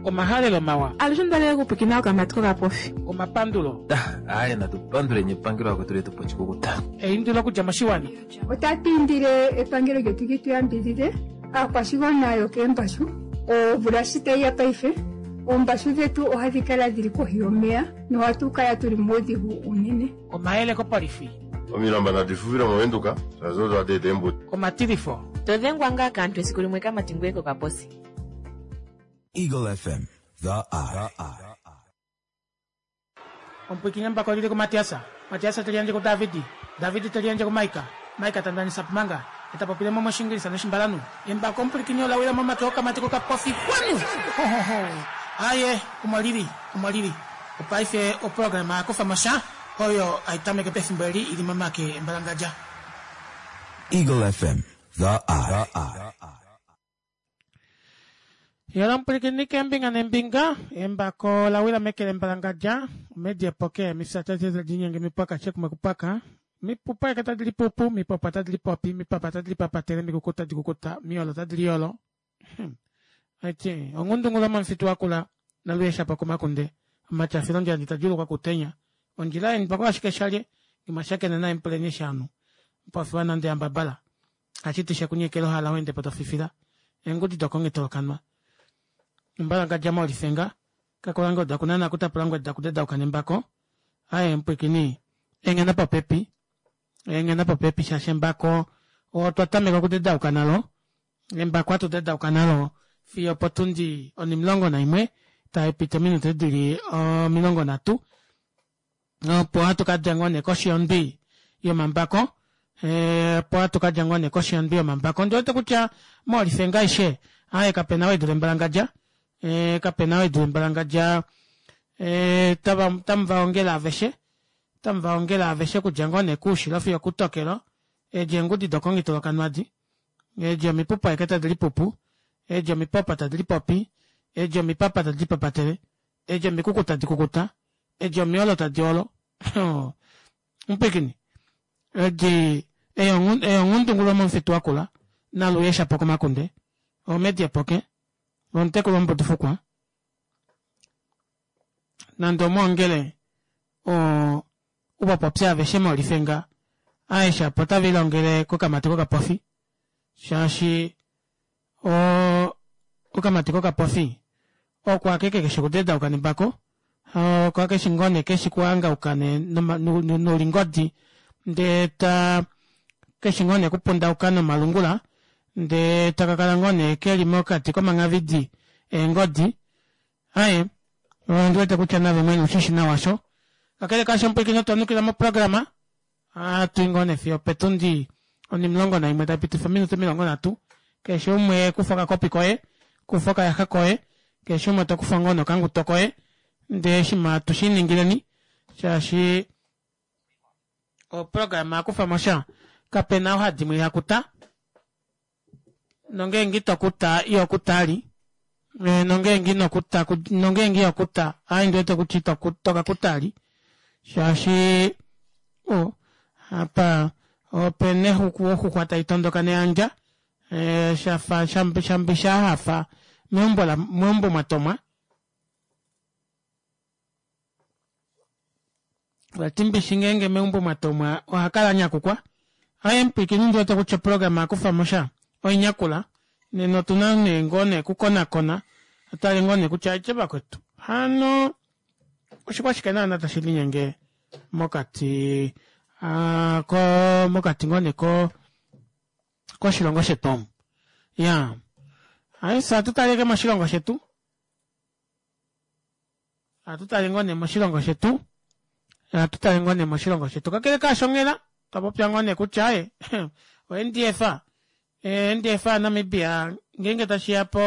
Omahalelo mawa. Alushe onda okupwikina okamati kokapofi. Omapandulo. Aaye natu panduleni epangelo akwetu letu pochikukuta. Eindilo okudja moshiwana. Otatu indile epangelo lyetu li tu yambidhidhe aakwashigwana yokeembashu. Omvula shi tayi ya paife, oombashu dhetu ohadhi kala dhili kohi yomeya nohatu kala tuli muudhigu uunene. Omayele kopolifi. Omilamba nadi fufile mOvenduka, shaashi odo hadi eta eembuto. Omatilifo. To dhengwa ngaa kaantu esiku limwe kamati ngoye kokaposi. Eagle FM, the eye. Omupwiikini embako lili kuMatiasa, Matiasa te liyandje kuDavidi, Davidi te liyandje kuMaika, Maika ta ndanisa Pumanga, e ta popile mo mOshiingilisa nOshimbalanhu. Embako omupwilikini ola wila momake okamati kokapofi kwanu! Hohoho! Aaye, omo lili, omo lili. Opaife oprograma ya kufa mo sha, oyo hai tameke pefimbo eli i li momake embalangadja. Eagle FM, the eye. Yela omupwilikini keembinga neembinga, embako la wila meke lembalangadja, omedi epoke, mifya tadi linyenge mipwaka shekumwe kupwaka, mipupa eke tadi lipupu, mipopa tadi lipopi, mipapa tadi lipapatele, mikuku tadi kukuta, miolo tadi liolo. Aiti, ongundungula momufitu wakula, naluesha pokumakunde, omatyafilo ndjandi tadjulukwa kutenya, ondjila yeni pako ashike shalye, ngimashakene naye mpuleni shanu, mpofiwa nande yambabala, hashiti shekunyekela ohala wende potofifila, eengudi dokongitolokanwa. Mbalangadja molifenga, kakolange odakunana kutapulangwe dakudedauka nembako, aye mpwikini, engena popepi, engena popepi shaashi embako otwa tameka okudedauka nalo, embako hatu dedauka nalo fiyo opotundi 11 taipiti ominute dili 30 opo hatu kadja ngoo nee koshi yondwi yomambako opo hatu kadja ngoo nee koshi yondwi yomambako ondiwete kutya molifenga aishe aaye kapena ou edule embalangadja kapena ou edule embalangadja tamu vaongele aveshe tamu vaongele aveshe okudja ngoo nee koushilo fiyo okutokelo edi eengudi dokongitolokanwadi edi omipupu aeke tadi lipupu edi omipopa tadi lipopi edi omipapa tadi lipapatele edi omikuku tadi kukuta edi omiolo tadi olo mupwikini edi eyonghundungulo momufitu wakula naluye shapo komakunde omedi epoke omutekulu womubudufukwa nande omwoongele oo uvapopye aveshe molifenga aeshe apo otave lilongele kokamati kokapofi shaashi o okamati kokapofi oko akeke keshi okudedauka nembako oko akeshi ngoo nee keshi kuhangauka noulingodi ndee ta keshi ngoo nee kupundauka nomalungula ndee taka kala ngoo nee keli mokati komanghavidi eengodi aye ondi wete kutya nave mwene ushishi nawa sho kakele kaasho omupwilikini otwa nukila moprograma Ohatu i ngoo nee fiyo opetundi onimulongo naimwe tai pitifa ominute 30. Keshe umwe kufa okakopi koye, kufa okayaxa koye, keshe umwe to kufa ngoo nee okanguto koye ndee shima atu shi ningileni shaashi oprograma kufa mo sha kapena ou hadimwe iha kuta. Nongeenge ito kuta iho kuta ali nongeenge ino kuta nongeenge iho kuta aaye ndiwete kutya ito kakuta ali shaashi o apa opena exuku oxuxwa tai tondoka neyandja shafa shambi shahafa meumbo meumbo mwatomwa Vati mbishi ngeenge meumbo mwa tomwa oha kala a nyakukwa. Aye mupwiikini ndi wete kutya oprograma ya kufa mo sha oinyakula. Nena otu na nee ngoo nee okukonakona tu tale ngoo nee kutya aitye vakwetu hano oshikwashike naana tashi linyenge mokati ko mokati ngoo nee ko koshilongo shetu omu. Iyaa aye fye ohatu tale ashike moshilongo shetu. Ohatu tale ngoo nee moshilongo shetu, ohatu tale ngoo nee moshilongo shetu. Kakele kaasho onghela twa popya ngoo nee kutya aye o-N_D_F, o-N_D_F yaNamibia ngeenge tashi ya po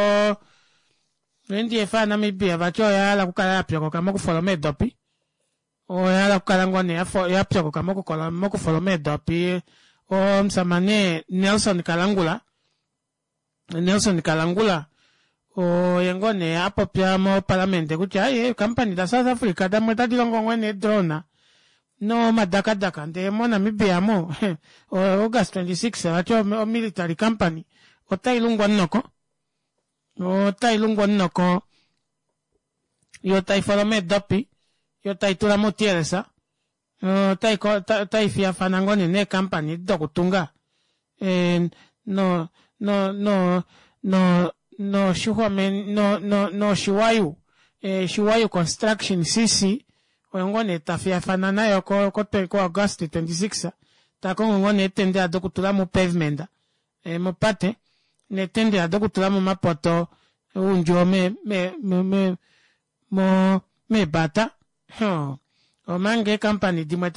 o-N_D_F yaNamibia vati oya hala okukala ya pyokoka mokufoloma eedopi. Oya hala okukala ngoo nee ya pyokoka mokufoloma eedopi. Omusamane Nelson Kalangula Nelson Kalangula oye ngoo nee a popya mopalamente kutya aye eekampani da South Africa damwe otadi longo ngoo nee drone nomadakadaka ndee moNamibia mo August 26 vati omilitary company otai lungwa omunoko otai lungwa omunoko. Yo tai foloma eedopi, yo tai tula moutiyelesa, otai fiyafana ngoo nee neekampani edi dokutunga no no no no noshiwayu shiwayu construction cc oyo ngoo nee tafiyafana nayo ko ko August 26 takongo ngoo nee eetendela dokutula mo pavement mopate neetendela dokutula momapoto oundjuwo me me me mo meebata. Omanga eekampani dimwe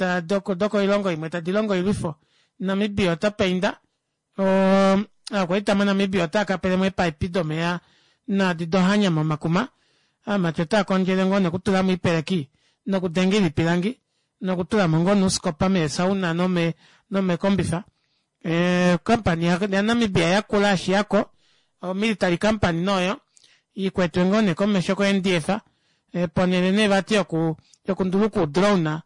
dokoilongo imwe tadi longo oilwifo, Namibia ota painda, ovakwaita moNamibia otava kapelemo eepaipi domeva naadi dohanya momakuma, ovamati otava kondjele ngoo nee okutulamo oipeleki nokudengela oipilangi nokutulamo ngoo nee ouskopa meesauna nomeekombifa. Okampani yaNamibia yakula yashiyako, omilitary company nee oyo, ikwetwe ngoo nee komesho ko-NDF, ponele nee vati yokunduluka udrone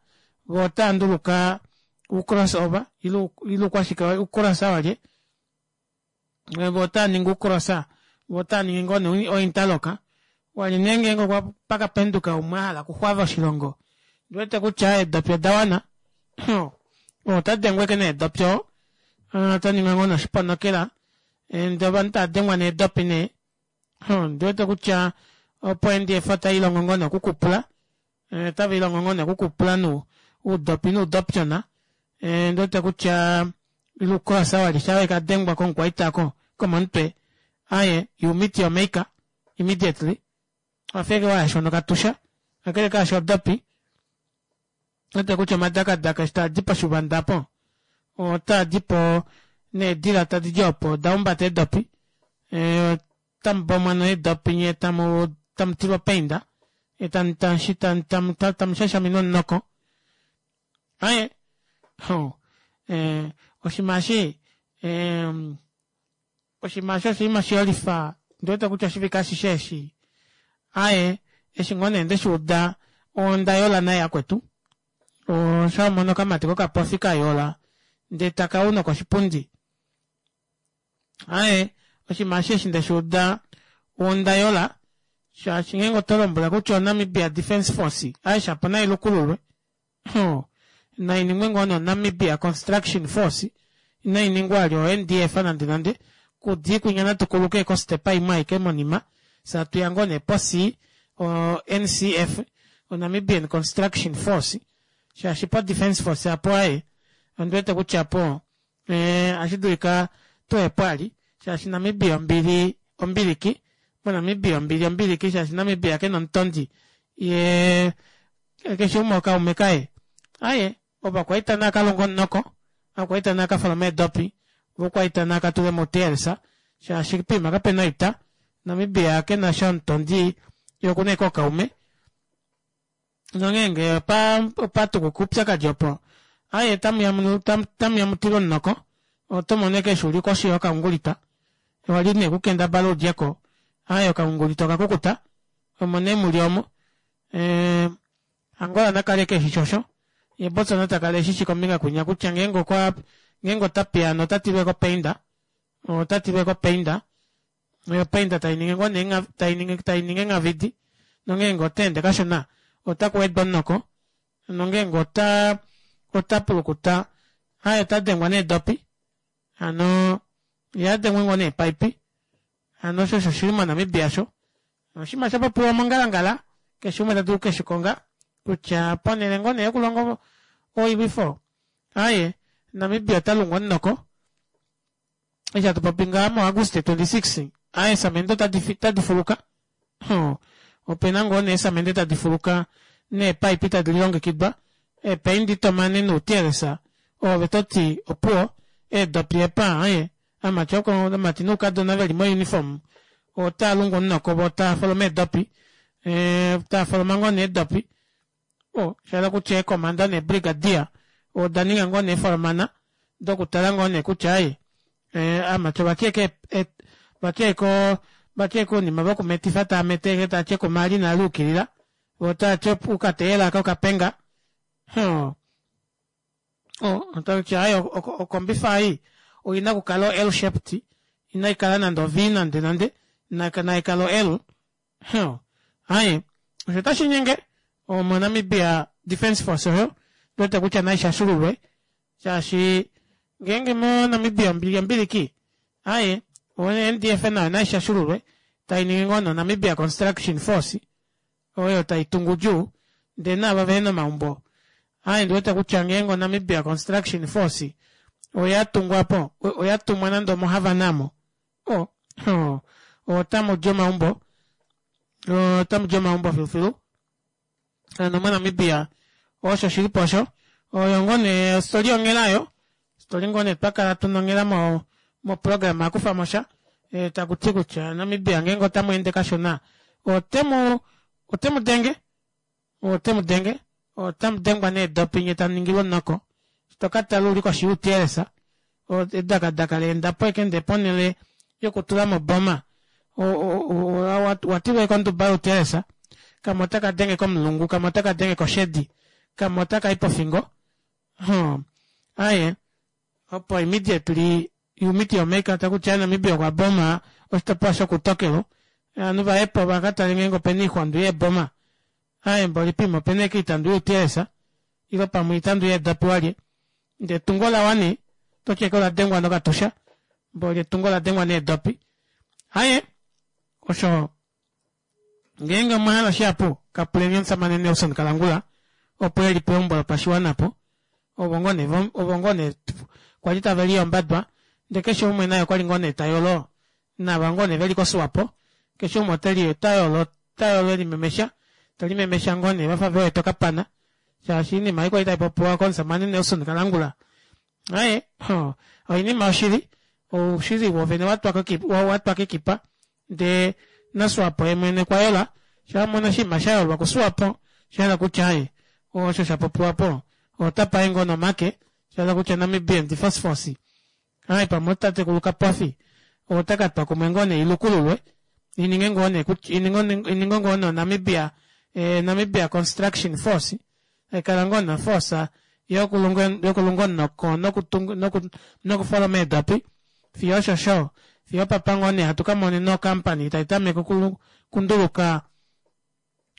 voo otava nduluka ucrossover ile uukwashike ucrossa walye, voo otava ningi ucrossa voo otava ningi ngoo nee ointerlock walye nee ngeenge okwa pakapenduka umwe ahala okuxwava oshilongo ndiwete kutya eedopi odawana ota dengwa ashike needopi oo otaningwa ngoo nee oshiponokela ndee ovanhu tava dengwa needopi nee ondiwete kutya opo NDF otailongo ngoo nee okukupula otavilongo ngoo nee okukupula uudopi nuudopyona ondiwete kutya lukosa wali sha wekadengwa komukwaita oko komomutwe aaye you meet your maker immediately wafa ashike wayashwa nokatusha kakele kaasho odopi wete kutya omadakadaka eshi taadi poshivanda opo otaadipo needila tadi di opo oda humbata eedopi otamu bomwa needopi nyee tamu tamu tilwa opainda tamu shashamine omunoko aaye oshinima eshi oshinima eshi oshinima shiyolifa ondiwete kutya oshivike ashishe eshi aaye eshi ngoo nee ndeshiuda onda yola naye yakwetu oshamona okamati kokapofi kayola ndee takau nokoshipundi aaye oshinima eshi eshi ndeshiuda onda yola shaashi ngeenge oto lombwela kutya oNamibia Defence Force aaye shapo nailukululwe nainingwe ngoo nee oNamibia Construction Force inainingwa ali o-NDF nande nande kudi kwinya natukuluke kostepa imwe aike monima fyee atuya ngoo nee poC o-NCF oNamibian Construction Force shaashi po Defence Force apo aaye ondiwete kutya apo ohashi dulika tuhepo ali shaashi Namibia ombili ombiliki moNamibia ombili ombiliki shaashi Namibia kena omutondi yee keshe umwe okaume kaye aaye ovakwaita naa kalonge omunoko ovakwaita naa kafolome eedopi ovakwaita naa katule moutiyelesa shaashi poima kapena oita Namibia kenasha omutondi yee okuna ashike ookaume nongeenge opatukuka oupyakadi opo aaye otamuya mutile omunoko oto mono ashike eshi uli koshi yokaungulita wali nee kukendabala udjeko aaye okaungulita okakukuta omo nee muli omo Angola nakale keshi shosho ye Botswana takala eshishi kombinga kwinya kutya ngeenge okwa ngeenge ota piyaana ota tilwe kopainda ota tilwe kopainda opainda tainingi ngoo nee tainingi tainingi enghavidi nongeenge ota ende kashona ota kuwedwa omunoko nongeenge ota ota pulukuta aaye ota dengwa needopi hano ye adengwe ngoo neepaipi hano osho osho shili moNamibia osho oshinima shapopiwa mongalangala keshe umwe tadulu okukeshikonga kutya ponele ngoo nee yokulonga oilwifo aaye Namibia ota lungwa omunoko eshi hatu popi ngaha moAguste 26 aaye eesamende otadi fuluka opena ngoo nee eesamende tadi fuluka neepaipi tadi lilongekidwa eepaindi tomane noutiyelesa oove toti opuwo eedopi epa aaye amati oko amati noukadona veli mouniform otaa lungu omunoko vo taa foloma eedopi taa foloma ngoo nee eedopi o shahala kutya eekomanda neebrigadier oda ninga ngoo nee eefolomana dokutala ngoo nee kutya aaye aamati ovatya ashike vatya ashike vatya ashike ounima vokumetifa taa mete ashike taati ekuma eli inali yukilila vo otaati okateyela aka okapenga otakuti aaye okombifa ei oina okukala o L shaped inaikala nande o V nande nande naikale o L aaye. Osho tashi nyenge omoNamibia Defence Force oyo ndiwete kutya nai shashululwe shaashi ngeenge moNamibia ombili ombiliki aye oNDF nayo nai shashululwe tai ningi ngoo noNamibia Construction Force oyo tai tungu djuu ndee naava vehena omaumbo aye ndiwete kutya ngeenge oNamibia Construction Force oya tungwa po oya tumwa nande omoHavana mo o otamu di omaumbo otamu di omaumbo filufilu hano moNamibia osho shili po osho oyo ngoo nee ostori yonghela yo ostori ngoo nee twa kala tuna onghela mo moprograma akufamo sha e, taku ti kutya Namibia ngeenge otamu ende kashona otemu otemu denge Ote mu denge, otamu dengwa needopi nye tamu ningilwa omunoko. Eshi to ka tala u li koshi youtiyelesa, edakadaka la enda po ashike ndee ponhele yokutula mo oboma, wa tilwa ashike onduba youtiyelesa, kamwe otaka denge komulungu, kamwe otaka denge koshedi, kamwe otaka i pofingo. Hum, aaye, opo immediately you meet your maker taku ti Namibia okwa boma oshitopolwa shokutokelo ovanhu vaye po va ka tale ngeenge opena oixwandu yeeboma aye mboli pima opena eke itandu youtiyelesa ile pamwe itandu yeedopi walye ndee etungo lawa nee toti eke ola dengwa nokatusha mboli etungo ola dengwa needopi aye osho Ngeenge omwa hala shihapu, ka puleni omusamane Nelson Kalangula opo e li peumbo lopashiwana po. Ovo ngoo nee ovo ngoo nee kwa li tave liyombadwa ndee keshe umwe naye okwa li ngoo nee ta yolo naava ngoo nee ve li koSwapo. Keshe umwe ote li ota yolo ota yolo e limemesha te limemesha ngoo nee va fa ve wete okapana shaashi oinima ei kwa li tai popiwa komusamane Nelson Kalangula aye oinima yoshili oushili wovene wa twa kekipa Ndee naSwapo ye mwene okwa yola, sho a mona oshinima sha yolwa kuSwapo, osha hala kutya aye, osho sha popiwa po, ota paye ngoo nomake, sha hala kutya Namibian Defence Force, aye pamwe otatekulu Kapofi, ota ka twa kumwe ngoo nee ilukululwe, i ninge ngoo nee kutya, i ninge ngoo nee oNamibia, Namibia Construction Force, tai kala ngoo nee oforce yokulunga omunoko nokufoloma eedopi, fiyo oshosho fiyo opapa ngoo nee hatu ka monena ocompany tai tameke okunduluka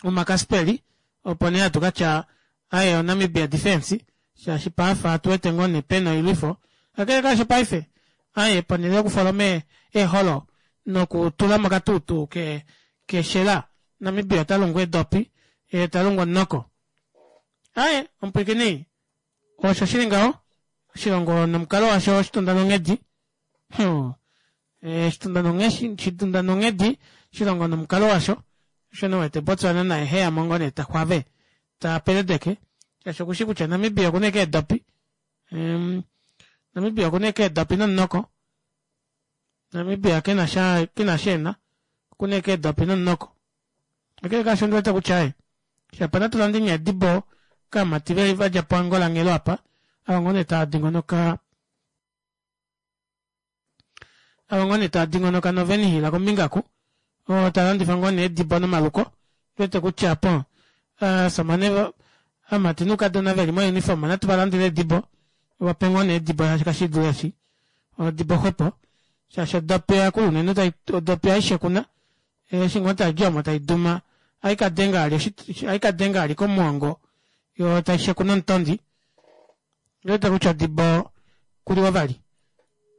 omakaspeli opo nee hatu ka tya aye oNamibia Defence shaashi paafa atu wete ngoo nee pena oilwifo kakele kaasho paife aye ponhele yokufoloma eeholo nokutula mokatuutuu ke keshela Namibia ota lungu eedopi ye ta lungu omunoko aye omupwiikini Osho shi li ngaho, oshilongo nomukalo washo oshitunda nonghedi. Hmm. Eh, oshitunda nonghedi, shitunda nonghedi, oshilongo nomukalo washo. Osho nee wete Botswana naye heya mo ngoo nee ta xwave, ta peledeke. Shaashi okushi kutya Namibia okuna ashike eedopi. Um, Namibia okuna ashike eedopi nomunoko. Namibia kena sha, kena sha ena. Okuna ashike eedopi nomunoko. Kakele kaasho ondi wete kutya aye shapa natu lande eedibo kaamati ve va dja poAngola nghelo apa ava ngoo nee tava dingonoka ava ngoo nee tava dingonoka novenihila kombinga ku oo ta landifa ngoo nee eedibo nomaluko ndi wete kutya po aasamane aamati noukadona veli mouniform natu va landele eedibo vape ngoo nee eedibo shaashi kashi dule eshi odibo xwepo shaashi odopi yakulu unene odopi aishe kuna Eshi ngoo tai di omo tai duma, ohai ka denga ali ohai ka denga ali komuongo, yo tai shekuna omutondi. Ndi wete kutya odibo kuliwa vali.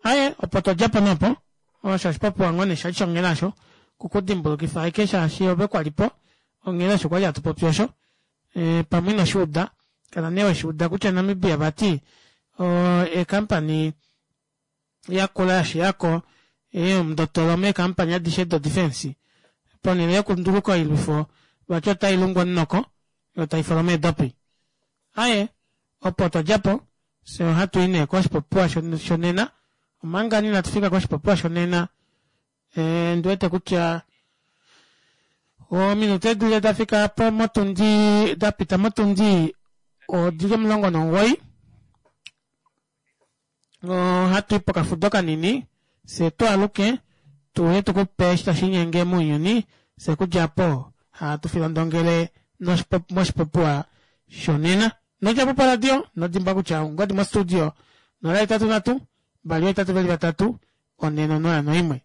Aye, opo twa dja po nopo, osho oshipopiwa ngoo nee shali shonghela osho, okukudimbulukifa ashike shaashi ove kwa li po, onghela osho kwali hatu popi osho. E, pamwe ino shi uda, kala nee we shi uda kutya Namibia vati eekampani yakula ya shiya ko omundotolo meekampani adishe dodefense ponhele yokunduluka oilwifo vati otai lungu omunoko yo tai foloma eedopi. Aye, opo twa dja po, fye ohatu i nee koshipopiwa shonena, omanga inatu fika koshipopiwa shonena Ndi wete kutya ominute edile da fika po motundi da pita motundi odili 19 ohatu i pokafudo kanini fye tu aluke tuuye tu ku pe eshi tashi inyenge mounyuni fye kudja po hatu filondongele moshipopiwa shonena. Nodja po poradio nodimbwa kutya ongodi mostudio 083 2 8 3 4 0 1.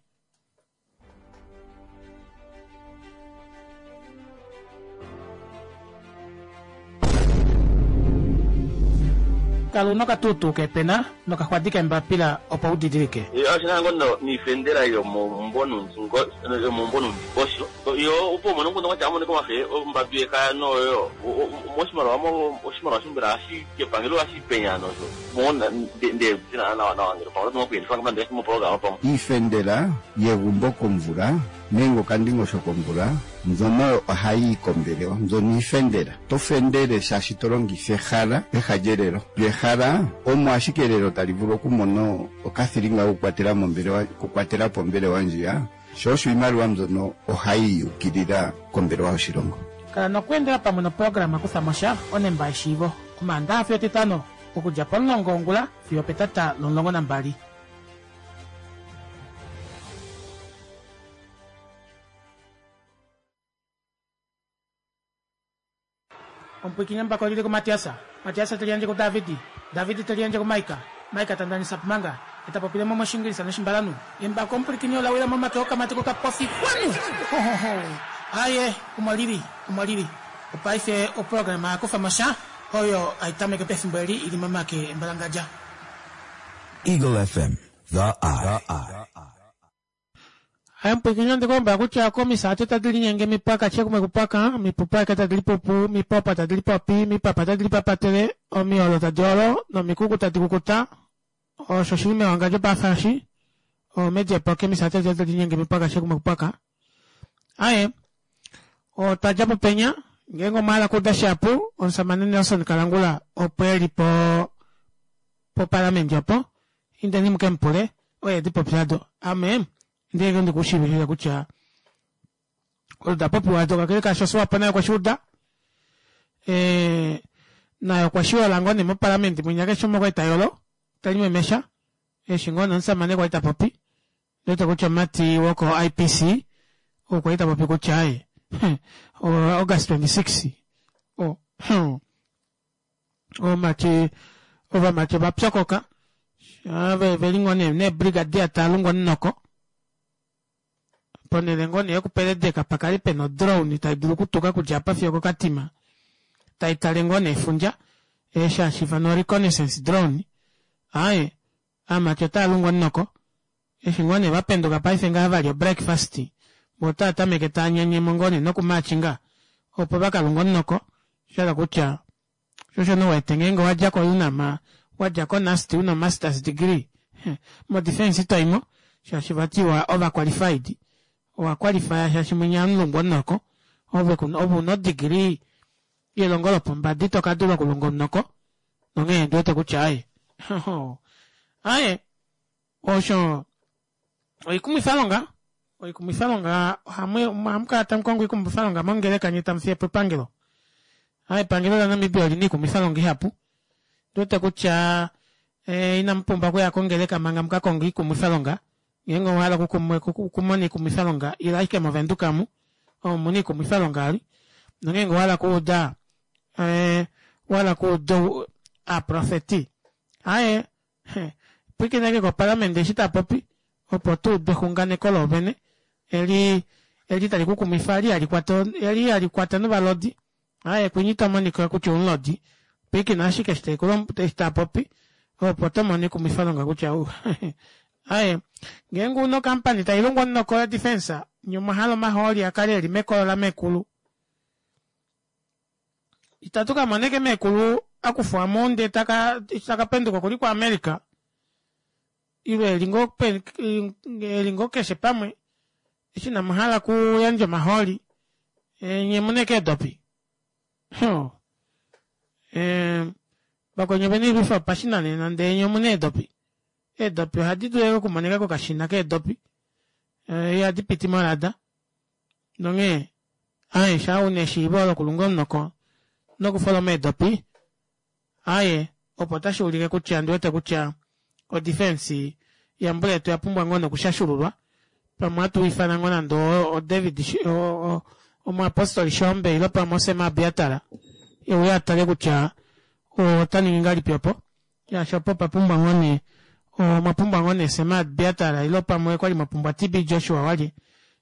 Kala una okatuutuu keepena nokaxwadi keembapila opo u didilike. Oshi na ngoo noifendela yomaumbo noundingosho yo opo umone omukundu kutya amone komafe ombadu yekaya noyo moshimaliwa oshimaliwa shombela hashi kepangelo hashi penya nosho mo nde dina nawa nawa ngele pamwe otu kuyelifa ngamba moprograma pamwe. Iifendela yegumbo komvula nenge okandingosho komvula mbyono ohayi yi kombelewa. Mbyono iifendela. Oto fendele shaashi to longitha ehala peha lyelelo. Lyo ehala omo ashike elelo tali vulu okumona okathilinga kokukwatela mombelewa okukwatela po ombelewa ndjiya, sho osho iimaliwa mbyono ohayi yi ukilila kombelewa yoshilongo. Kala nokweendela pamwe noprograma Kutha mo sha, onemba yeshiivo, Omaandaxa fiyo Etitano, okudja pomulongo wongula fiyo opetata lomulongo nambali. Omupwiikini embako oli li kuMatias, Matias te liyandje kuDavid, David te liyandje kuMaika, Maika ta ndanisa Pumanga, e ta popile mo mOshiingilisa nOshimbalanhu. Embako omupwilikini ola wila momake okamati kokapofi. Xwanu! Ho-ho-ho! Aaye, omo li li, omo li li. Opaife oprograma ya kufa mo sha, oyo hai tameke pefimbo eli i li momake embalangadja. Eagle FM, The Eye. Aye mupwiikini onde ku lombwela kutya komisaate tadi linyenge mipwaka chekumwe kupwaka, mipupu aeke tadi lipupu, mipopa tadi lipopi, mipapa tadi lipapatele, omiolo tadi olo nomikuku tadi kukuta. Osho shi li mewangandjo paafa eshi omedjepo kemisaate tadi linyenge mipwaka chekumwe kupwaka. Aye, otwa dja po penya, ngeenge omwa hala okuuda shihapu, omusamane Nelson Kalangula opo e li po poparlament opo, Indeni mu ke mu pule, oye e di popya do. Ame ndi ndi ku shiivifile kutya odo da popiwa do, kakele kaasho Swapo naye okwe shi uda. Naye okwe shi yola ngoo nee moparlament mwinya keshe umwe okwali ta yolo, ta limemesha, eshi ngoo nee omusamane kwali ta popi. Ndi wete kutya omumati woko IPC okwali ta popi kutya aye, August 26, o, Ovamati ovamati ova pyokoka ve ve li ngoo nee neebrigadier taa lungu omunoko ponhele ngoo nee yokupeledeka pa kale pena odrone tai dulu okutuka okudja apa fiyo okoKatima tai tale ngoo nee efundja eshi hashi ifanwa reconnaissance drone. Aaye aamati otaa lungu omunoko eshi ngoo nee va penduka paife ngaha va lya obreakfast vo otaa tameke taa nyanyemo ngoo nee nokumaachinga opo va ka lunge omunoko sha hala kutya sho osho nee wete ngeenge owa dja koUNAM wa dja koNUST una omasters degree modefence ito i mo shaashi vati wa over qualified owa qualifya shaashi mwinya omulungu omunoko ove ove una odegree yelongo lopombada ito ka dula okulunga omunoko nonghee ndi wete kutya aye aye osho oikumwifalonga oikumwifalonga ohamu kala tamu kongo oikumwifalonga mongeleka nye tamu fiye po epangelo a epangelo laNamibia oli na iikumwifalonga ihapu ndi wete kutya eh, inamu pumbwa okuya kongeleka manga muka konga iikumwifalonga ngeenge owa hala okumona iikumwifalonga ila ashike moVenduka mu omo mu na iikumwifalonga ali nongeenge owa hala okuuda eh, owa hala okuuda aaprofeti aye Pwilikina ashike koparlament eshi ta popi opo tu ude exunganeko loovene eli eli tali ku kumwifa eli hali kwata eli hali kwata novalodi. Aye kwinyi ito monika kutya oumulodi. Pwilikina ashike eshi tai ku eshi ta popi opo to mono ekumwifalonga kutya u aye ngeenge una okampani tai longwa omunoko yodefense nye omwa hala omahooli a kale eli mekolo lamekulu. Itatu ka mona eke meekulu a kufwa mo ndee taka eshi taka penduka okuli kuAmerica ile eli ngoo eli ngoo keshe pamwe eshi inamu hala kuyandja omahooli nye mu na eke eedopi vakweni ovena oilwifo yopashinanena ndee nye omu na eedopi eedopi ohadi dulu ashike okumonika kokashina keedopi ihadi piti morada Nonghee, aye, shaa u na eshiivo lokulunga omunoko nokufoloma eedopi, aye, opo otashi ulike kutya ndi wete kutya odifensi yambuletu oya pumbwa ngoo nokushashululwa. Pamwe ohatu ifana ngoo nande oDavid, omuyapostoli Shoombe ile pamwe oSem Abiatar e uye a tale kutya ota ningi ngahelipi opo. Shaashi opo opa pumbwa ngoo nee, omwa pumbwa ngoo nee Sem Abiatar ile pamwe kwa li mwa pumbwa TB Joshua walye.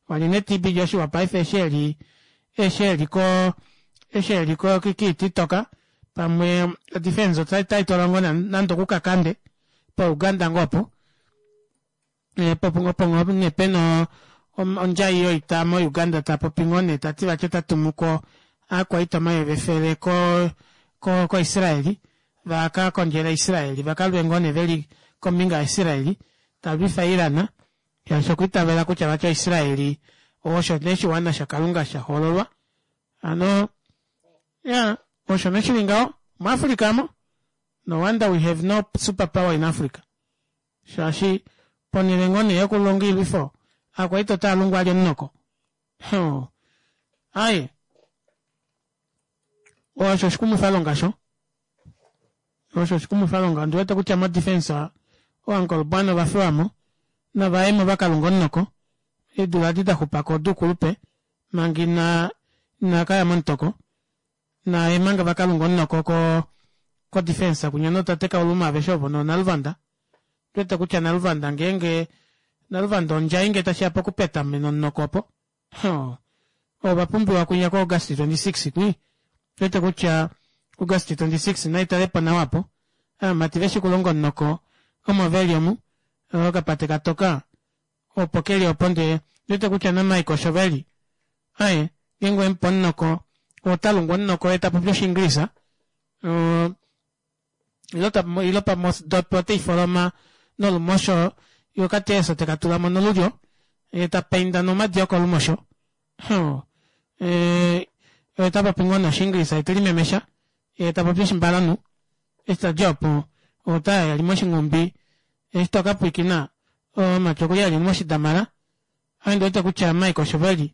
Walye nee TB Joshua paife eshi e li, eshi e li ko, eshi e li ko kiititoka. Pamwe odefense otai twalwa ngoo nande okukakande poUganda ngoo opo. Opo ngoo nee pena ondjai yoita moUganda ta popi ngoo nee tati vati ota tumu ko aakwaita 100 ko koIsraeli va ka kondjele Israeli va ka lwe ngoo nee veli kombinga yaIsraeli ta lwifa Iran shaashi okwa itavela kutya vati Israeli osho nee oshiwana shaKalunga sha hoololwa hano ya osho nee shili ngaho muAfrica mo no wonder we have no super power in Africa Shaashi ponhele ngoo nee yokulonga oilwifo, aakwaita otaa lungu alye omunoko. Hoo. Aye. Osho oshikumwifalonga sho. Osho oshikumwifalonga. Ondi wete kutya modefense ooankolobwana ova fiwa mo. Nava ye mo va ka lunge omunoko. Eedula edi da xupa ko oduukulupe manga ina ina ka ya momutoko. Naye manga va ka lunga omunoko ko ko defense kunya notate Kauluma aveshe ovo no Naluvanda. Twete kutya Naluvanda ngeenge Naluvanda ondjai nge tashi ya pokupeta omunoko opo. Hoo. Ova pumbiwa kunya ko August 26 kwi. Twete kutya August 26 nai tale po nawa po. Aamati veshi kulonga omunoko omo veli omu. Okapate katoka opo keli opo ndee ndwete kutya naMike osho veli. Aye, ngeenge owemupe omunoko, ota lungu omunoko ye ta popi Oshiingilisa, ilo pamwe odopi otei foloma nolumosho ye okateeso teka tula mo nolulyo, ye ta painda nomadi okolumosho. Oye ta popi ngoo nee Oshiingilisa ye te limemesha, ye ta popi Oshimbalanhu. Eshi ta dja opo, ota ya li moshinghumbi, eshi to ka pwiikina, omumati okuli a li moshidamala. Ame ndi wete kutya Mike osho vali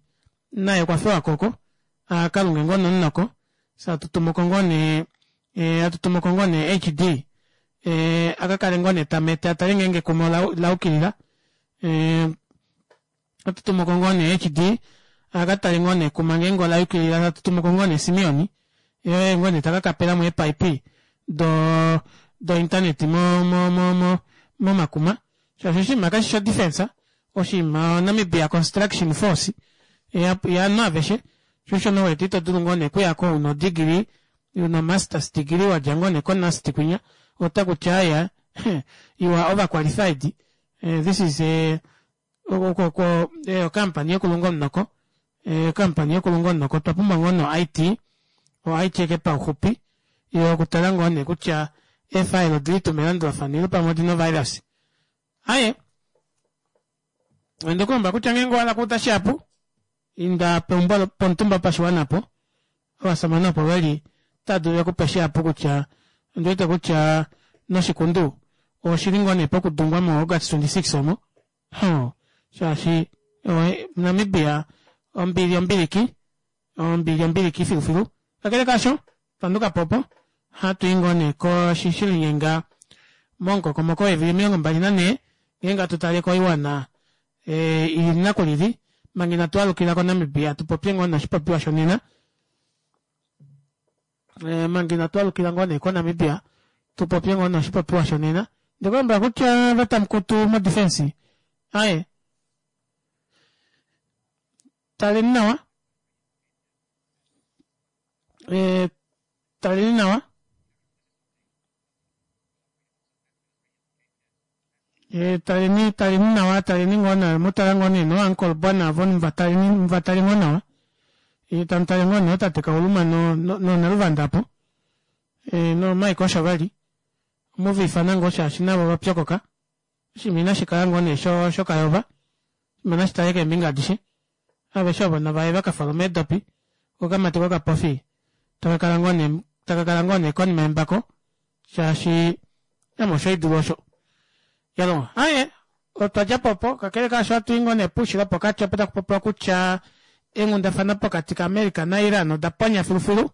naye okwa fewa koko a ka lunge ngoo nomunoko fye atu tumuko ngoo nee atu tumuko ngoo nee HD a ka kale ngoo nee ta mete a tale ngeenge ekuma ola yukilila. Atu tumuko ngoo nee HD a ka tale ngoo nee ekuma ngeenge ola yukilila atu tumuko ngoo nee Simeon ye ngoo nee ta ka kapela mo eepaipi do do internet mo mo mo mo momakuma shaashi oshinima kashi sho defense oshinima Namibia Construction Force ya aveshe sho osho nee wete ito dulu ngoo nee okuyako una odegree una masters degree wadja ngoo nee ko NUST kwinya ota kuti aya you are overqualified this is a oko okampani yokulunga omunoko okampani yokulunga omunoko otwa pumbwa ngoo no IT o IT eke pauxupi yokutala ngoo nee kutya eefile odili tuu melandulafano ile pamwe odina ovirus Aye, onde ku lomba kutya ngeenge owa hala okuuda shihapu, inda peumbo pomutumba wopashiwana opo ovasamane opo ve li otava dulu ve ku pe shihapu kutya ondi wete kutya noshikundu oshi li ngoo nee pokudungwa moAugust 26 omo. Hoo, shaashi Namibia ombili ombiliki, ombili ombiliki filufilu. Kakele kaasho, twa nduka po opo, hatu i ngoo nee koshishilinyenga momukokomoko weevili 24 ngeenge hatu tale koiwana i lili naku lili manga inatu alukila koNamibia tu popye ngoo noshipopiwa shonena. Manga inatu alukila ngoo nee koNamibia tu popye ngoo noshipopiwa shonena. Ndi ku lombwela kutya vatamukutu modefense aye taleni nawa. Eh, taleni nawa. Eh, taleni taleni nawa taleni ngoo nawa mu tala ngoo nee nouncle bwana avo muvataleni muvatale ngoo nawa eh, tamu tale ngoo nee otate Kauluma no no no Naluvanda apo eh, no Mike osho vali omuva ifana ngoo shaashi navo ova pyokoka oshinima inashi kala ngoo nee sho shokayova oshinima nashi tale keembinga adishe Aveshe ovo nava ye va ka folome eedopi, ko okamati kokapofi taka kala ngoo nee taka kala ngoo nee konima yembako shaashi ame osho haidulu osho. Yalongo aye otwa dja po opo kakele kaasho ohatu i ngoo nee poushilo pokati opo taku popiwa kutya eenghundafana pokati kaAmerica naIran oda ponya filufilu.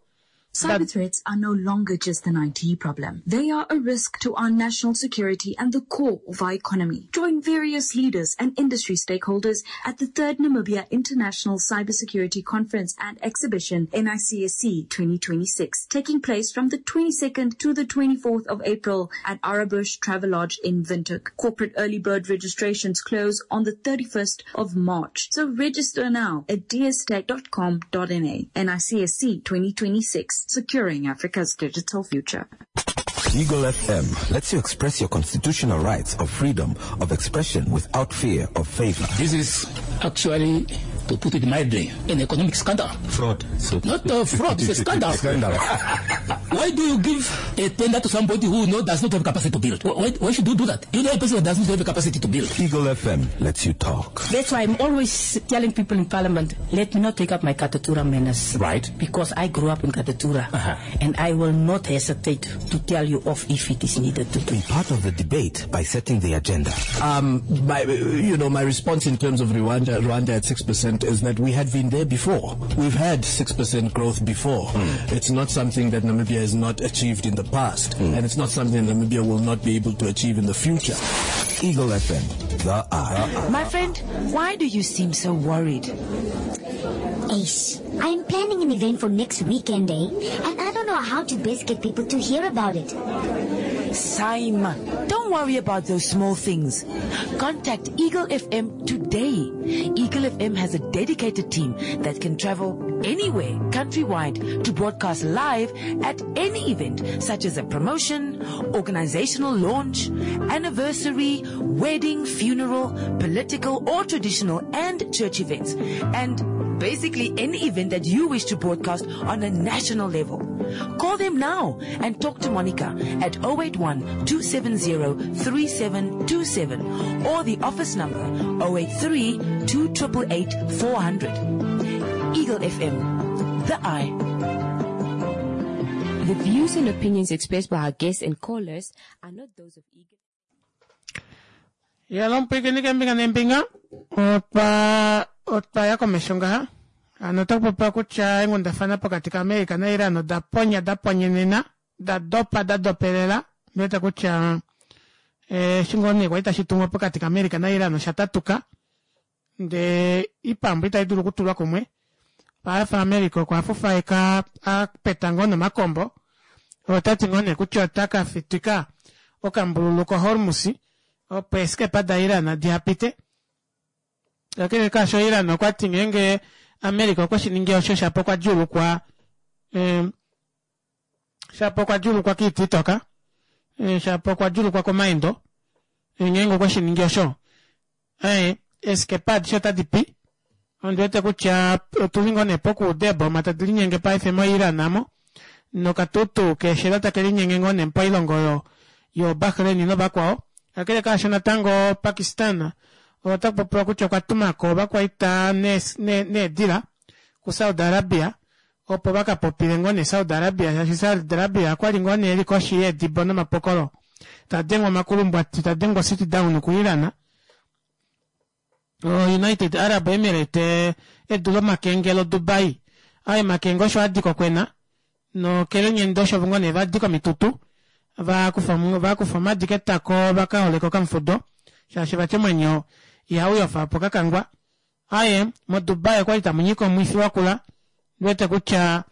Cyber threats are no longer just an IT problem. They are a risk to our national security and the core of our economy. Join various leaders and industry stakeholders at the third Namibia International Cybersecurity Conference and Exhibition, NICSC 2026, taking place from the 22nd to the 24th of April at Arabush Travelodge in Windhoek. Corporate early bird registrations close on the 31st of March. So register now at dstech.com.na. NICSC 2026. Networks, securing Africa's digital future. Eagle FM lets you express your constitutional rights of freedom of expression without fear of favor. This is actually, to put it mildly, an economic scandal. Fraud. So Not a fraud, it's a scandal. Scandal. Why do you give a tender to somebody who does not have capacity to build? Why should you do that? You know a person who does not have the capacity to build. Eagle FM lets you talk. That's why I'm always telling people in Parliament, let me not take up my Katutura manners. Right. Because I grew up in Katutura. And I will not hesitate to tell you off if it is needed to. Be part of the debate by setting the agenda. My response in terms of Rwanda at 6% is that we had been there before. We've had 6% growth before. It's not something that Namibia has not achieved in the past, and it's not something that Namibia will not be able to achieve in the future. Eagle FM, the Eye. My friend, why do you seem so worried? Ace, I'm planning an event for next weekend, And I don't know how to best get people to hear about it. Saima, don't worry about those small things. Contact Eagle FM today. Eagle FM has a dedicated team that can travel anywhere, countrywide, to broadcast live at any event, such as a promotion, organizational launch, anniversary, wedding, funeral, political or traditional and church events, and basically any event that you wish to broadcast on a national level. Call them now and talk to Monica at 081-270-3727 or the office number 083-2888-400. Eagle FM, the Eye. The views and opinions expressed by our guests and callers are not those of Eagle. Ya lompwikini kembinga nembinga otwa ya komesho ngaha hano ota kupopiwa kutya eenghundafana pokati kaAmerica naIran oda ponya da ponyenena da dopa da dopelela ndiwete kutya eshi ngoo nee kwali tashi tumwa pokati kaAmerica naIran osha tatuka ndee ipambu itai dulu okutulwa kumwe paife America okwa fufaeka a peta ngoo nomakombo otati ngoo nee kutya ota ka fitika okambululu koHormuz opo eeskepa daIran diha pite. Kakele kaasho Iran okwa ti ngeenge America okwe shi ningi osho shapo okwa djuulukwa shapo okwa djuulukwa kiiti itoka shapo okwa djuulukwa komaendo ngeenge okwe shi ningi osho eeskepa adishe otadi pi. Ondi wete kutya otuli ngoo nee pokuuda eeboma tadi linyenge paife moIran amo nokatutu keeshela take linyenge ngoo nee poilongo oyo yoBahrain novakwao. Kakele kaasho natango Pakistan ota kupopiwa kutya okwa tumako ovakwaita needila kuSaudi Arabia opo vakapopile ngoo nee Saudi Arabia shaashi Saudi Arabia okwali ngoo nee eli koshi yeedibo nomapokolo tadengwa omakulumbwati tadengwa sit down kuIran. United Arab Emirates edu lomakenge loDubai aye makenge osho adika okwena nokelenyende osho ngoo nee vadika omitutu vakufa omadi ketako vakaholeka okamufudo shaashi vati omwenyo ihauyofa po kakangwa. Aye moDubai okwali tamunyika omwifi wakula ndiwete kutya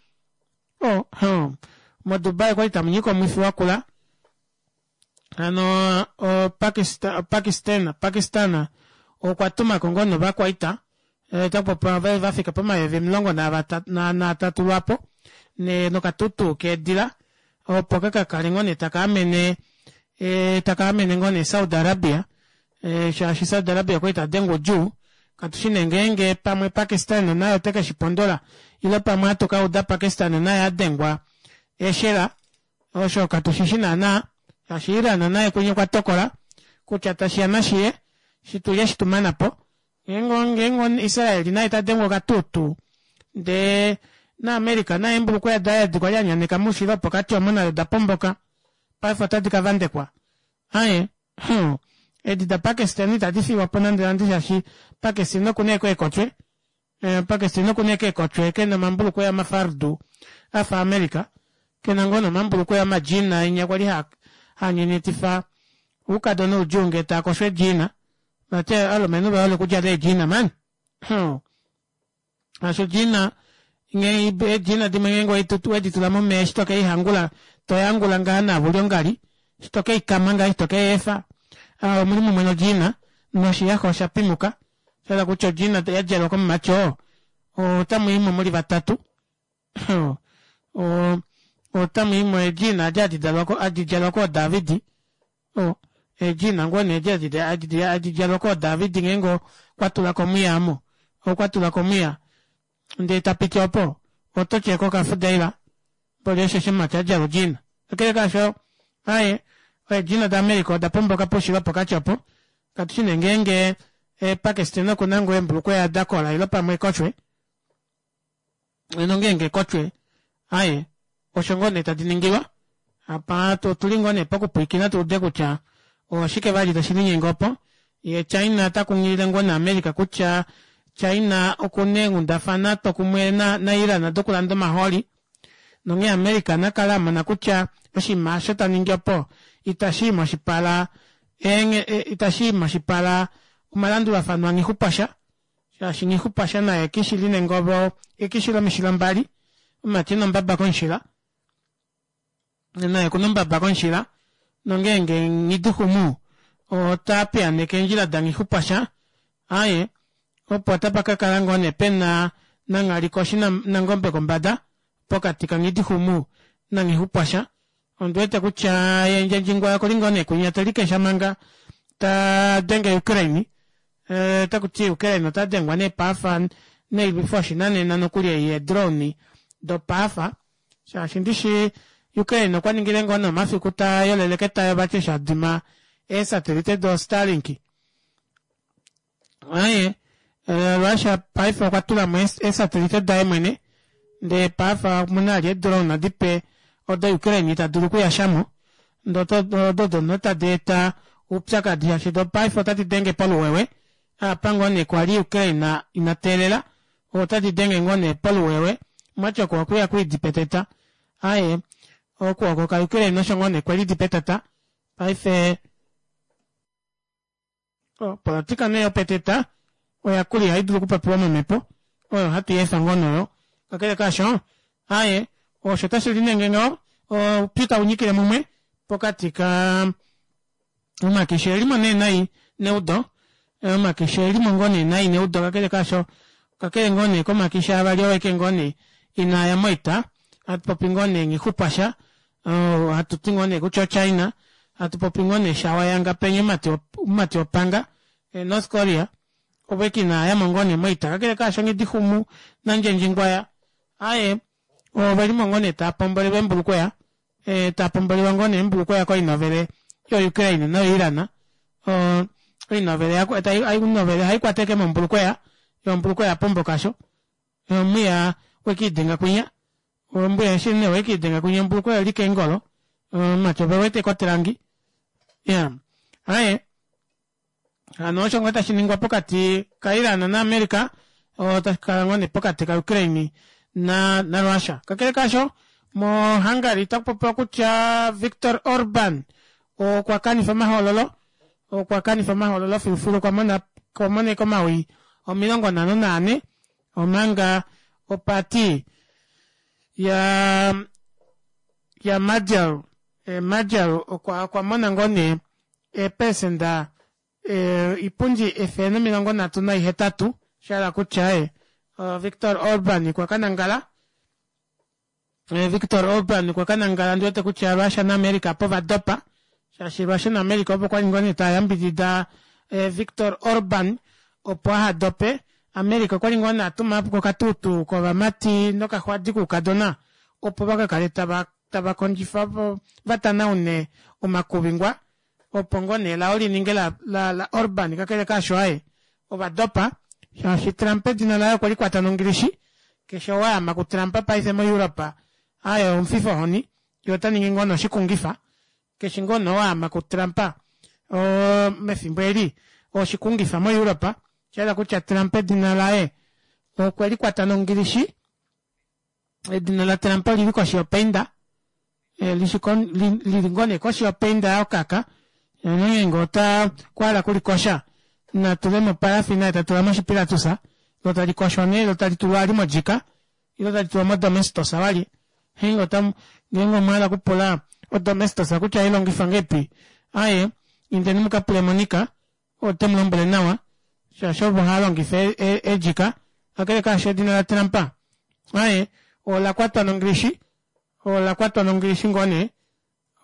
moDubai okwali tamunyika omwifi wakula hano Pakistan okwa tumako ngoo novakwaita takupopiwa vafika pomayovi 13 lwapo nokatutu keedila opo kakakale ngoo nee taka amene ngoo nee Saudi Arabia shaashi Saudi Arabia okwali tadengwa odjuu katushi nee ngeenge pamwe Pakistan naye oteke shipondola ile pamwe hatukauda Pakistan naye adengwa eshela osho katushishi naana shaashi Iran naye kunye okwa tokola kutya tashiya nashiye shitulye shitumana po ngeenge Israel naye tadengwa okatutu ndee naAmerica naye embulukweya daye edi kwali anyaneka moushilo wopokati omo nado da pomboka paife otadi kavandekwa aye edi daPakistan itadi fiwa po nande nande shaashi Pakistan okuna eekotwe Pakistan okuna eekotwe kena omambulukweya amafardu afa America kena ngoo nomambulukweya amajina inya kwali hanyenyetifa oukadona oudjuu ngee taakoshwa eedjina vati alumenhu vehole okudjala eedjina mani asho odjina eedjina dimwe ngeenge weditula momeya eshi tokeihangula toyangula ngaha navuli ongali eshi tokeikama ngaha eshi tokeyeefa omuli mumwe nodjina noshiyaxa osha pimuka shahala kutya odjina yadjalwa komumati oo otamuimo muli vatatu. Otamu i mo eedjiina adi hadi dalwa ko hadi djalwa kooDavid. O, eedjiina ngoo nee edi hadi hadi djalwa kooDavid ngeenge okwa tula ko omwiya omo. Okwa tula ko omwiya ndee ta piti opo, oto ti eko okafudaila. Mboli osho eshi omumati a djala odjiina. Kakele kaasho, aaye, eedjiina daAmerica oda pomboka poushilo wopokati opo. Katu shi nee ngeenge Pakistan oku na ngoo eembulukweya da kola ile pamwe ekoshwe. Nongeenge ekotwe, aye, osho ngoo nee tadi ningilwa. Apa otuli ngoo nee pokupwiikina tu ude kutya oshike vali tashi linyenge opo. Ye China ota kunghilile ngoo naAmerica kutya China okuna eenghundafana twokumwe naIran dokulanda omahooli. Nonghee America na kale a mona kutya oshinima osho ta ningi opo itashi i moshipala itashi i moshipala omalandulafano aNghixupwasha. Shaashi Nghixupwasha naye ekishi li nengovo, ekishi lomishila mbali, omumati ena ombaba komushila, naye okuna ombaba komushila, nongeenge Nghidixumu ota piyaneke eendjila daNghixupwasha, aaye, opo otapa ka kala ngoo nee pena nanghali koshi nangombe kombada, pokati kaNghidixumu naNghixupwasha. Ondi wete kutya ye Ndjendjingwa okuli ngoo nee kwinya te likesha manga ta denge Ukraine. Eh, otaku ti Ukraine ota dengwa nee paafa noilwifo yoshinanena nokuli ei yeedrone dopaafa shaashi ndishi Ukraine okwa ningile ngoo nee omafiku ta yolele ketayo vati eshi a dima eesatelite doStarlink. Aye, eh, Russia paife okwa tula mo eesatelite daye mwene ndee paafa omuna ali eedrone dipe odo Ukraine ita dulu okuyasha mo ndee odo dono tadi eta oupyakadi shaashi do paife otadi denge poluwewe apa ngoo nee kwali Ukraine ina teelela otadi denge ngoo nee poluwewe mwati oko okuya kwidi peteta aye okuoko ka Ukraine osho ngoo nee kwelidi petata paife Opolotika nee yopeteta oya kula ihai dulu okupopiwa momhepo, oyo hatu i efa ngoo noyo. Kakele kaasho, aaye, osho tashi linyenge ngaho, oupyu tau nyikile mumwe pokati ka omakishi e li mo nee nai neudo, omakishi e li mo ngoo nee nai neudo, kakele kaasho, kakele ngoo nee komakishi avali oo eke ngoo nee inaa ya moita, hatu popi ngoo nee Nghixupwasha hatu ti ngoo nee kutya oChina, hatu popi ngoo nee Shawayanga penya omumati wopanga, North Korea, ovo eke inaa yamo ngoo nee moita. Kakele kaasho Nghidixumu naNdjendjingwaya, aaye, ove li mo ngoo nee taa pombolelwa eembulukweya, taa pombolelwa ngoo nee eembulukweya koinovele yoUkraine noyoIran. Oinovele ohai kwata ashike mombulukweya, yo ombulukweya ya pomboka sho. Omwiya wekiidenga kwinya. Ombuya eshi ne wekiidenga kwinya ombulukweya oli keengolo. Omumati ove wete kotelangi. Ya. Aye. Hano osho ngoo tashi ningwa pokati kaIran naAmerica, otashi kala ngoo nee pokati kaUkraine na naRussia. Kakele kaasho, moHungary otaku popiwa kutya Viktor Orban okwa kanifa omahoololo, okwa kanifa omahoololo filufilu okwa mona okwa moneka omawi 54 omanga oparty ya ya Magyar eh, Magyar okwa okwa mona ngoo nee eepesenda eh, ipundi 138 sha hala kutya eh, Viktor Orban okwa ka nangala eh, Viktor Orban okwa ka nangala ndi wete kutya Russia naAmerica opo va dopa shaashi Russia naAmerica opo kwali ngoo nee tava yambidida eh, Viktor Orban opo aha dope. America okwali ngoo nee a tuma ko okatutu kovamati nokaxwadi koukadona opo va ka kale tava tava kondjifa opo va tanaune omakuvingwa opo ngoo nee lao li ninge la, la, la Orban kakele kaasho aye ova dopa shaashi Trump edina laye okwe li kwata nongilishi keshe ou a ama kuTrump paife moEurope aye omufifa ohoni ye ota ningi ngoo nee oshikungifa keshe ngoo nee ou a ama kuTrump mefimbo eli oshikungifa moEurope sha hala kutya Trump edina laye okwe li kwata nongilishi edina laTrump oli li koshi yopeinda eh, lili ngoo nee koshi yopeinda yokaka nongeenge ota kwaala kulikosha na tule mo parafina ye ta tula moshipilatusa lo tali koshwa nee lo tali tulwa ali modjika ilo tali tulwa modomestos vali ngeenge ota ngeenge omwa hala okupula odomestos kutya ohai longifwa ngeipi aye indeni muka pule Monica ote mu lombwele nawa shaashi ovo hava longifa eedjika kakele kaasho edina laTrump aye ola kwatwa nongilishi. Ola kwatwa nongilishi ngoo nee.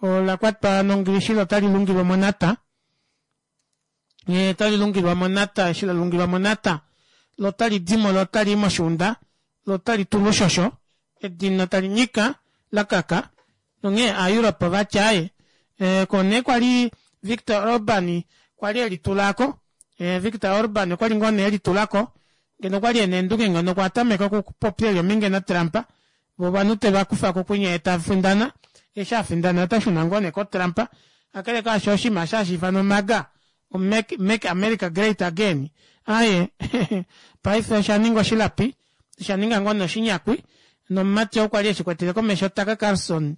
Ola kwatwa nongilishi lo tali lungilwa monata. Ye tali lungilwa monata eshi la lungilwa monata lo tali dimo lo tali i moshuunda lo tali tulwa oshosho edina tali nyika la kaka nonghee aaEurope ovati aaye e, ko nee kwali Victor Orban kwali e litulako e, Victor Orban okwali ngoo nee e litulako ngeno okwali ena eendunge ngeno okwa tameka okupopya eli ominge naTrump vo ovanhu teva kufa ko kwinya ye ta findana eshi a findana ota shuna ngoo nee koTrump kakele kaasho oshinima eshi hashi ifanwa MAGA Make, Make America Great Again aye paife osha ninga oshilapi osha ninga ngoo nee oshinyakwi nomumati oo kwali eshi kwetele komesho Tucker Carlson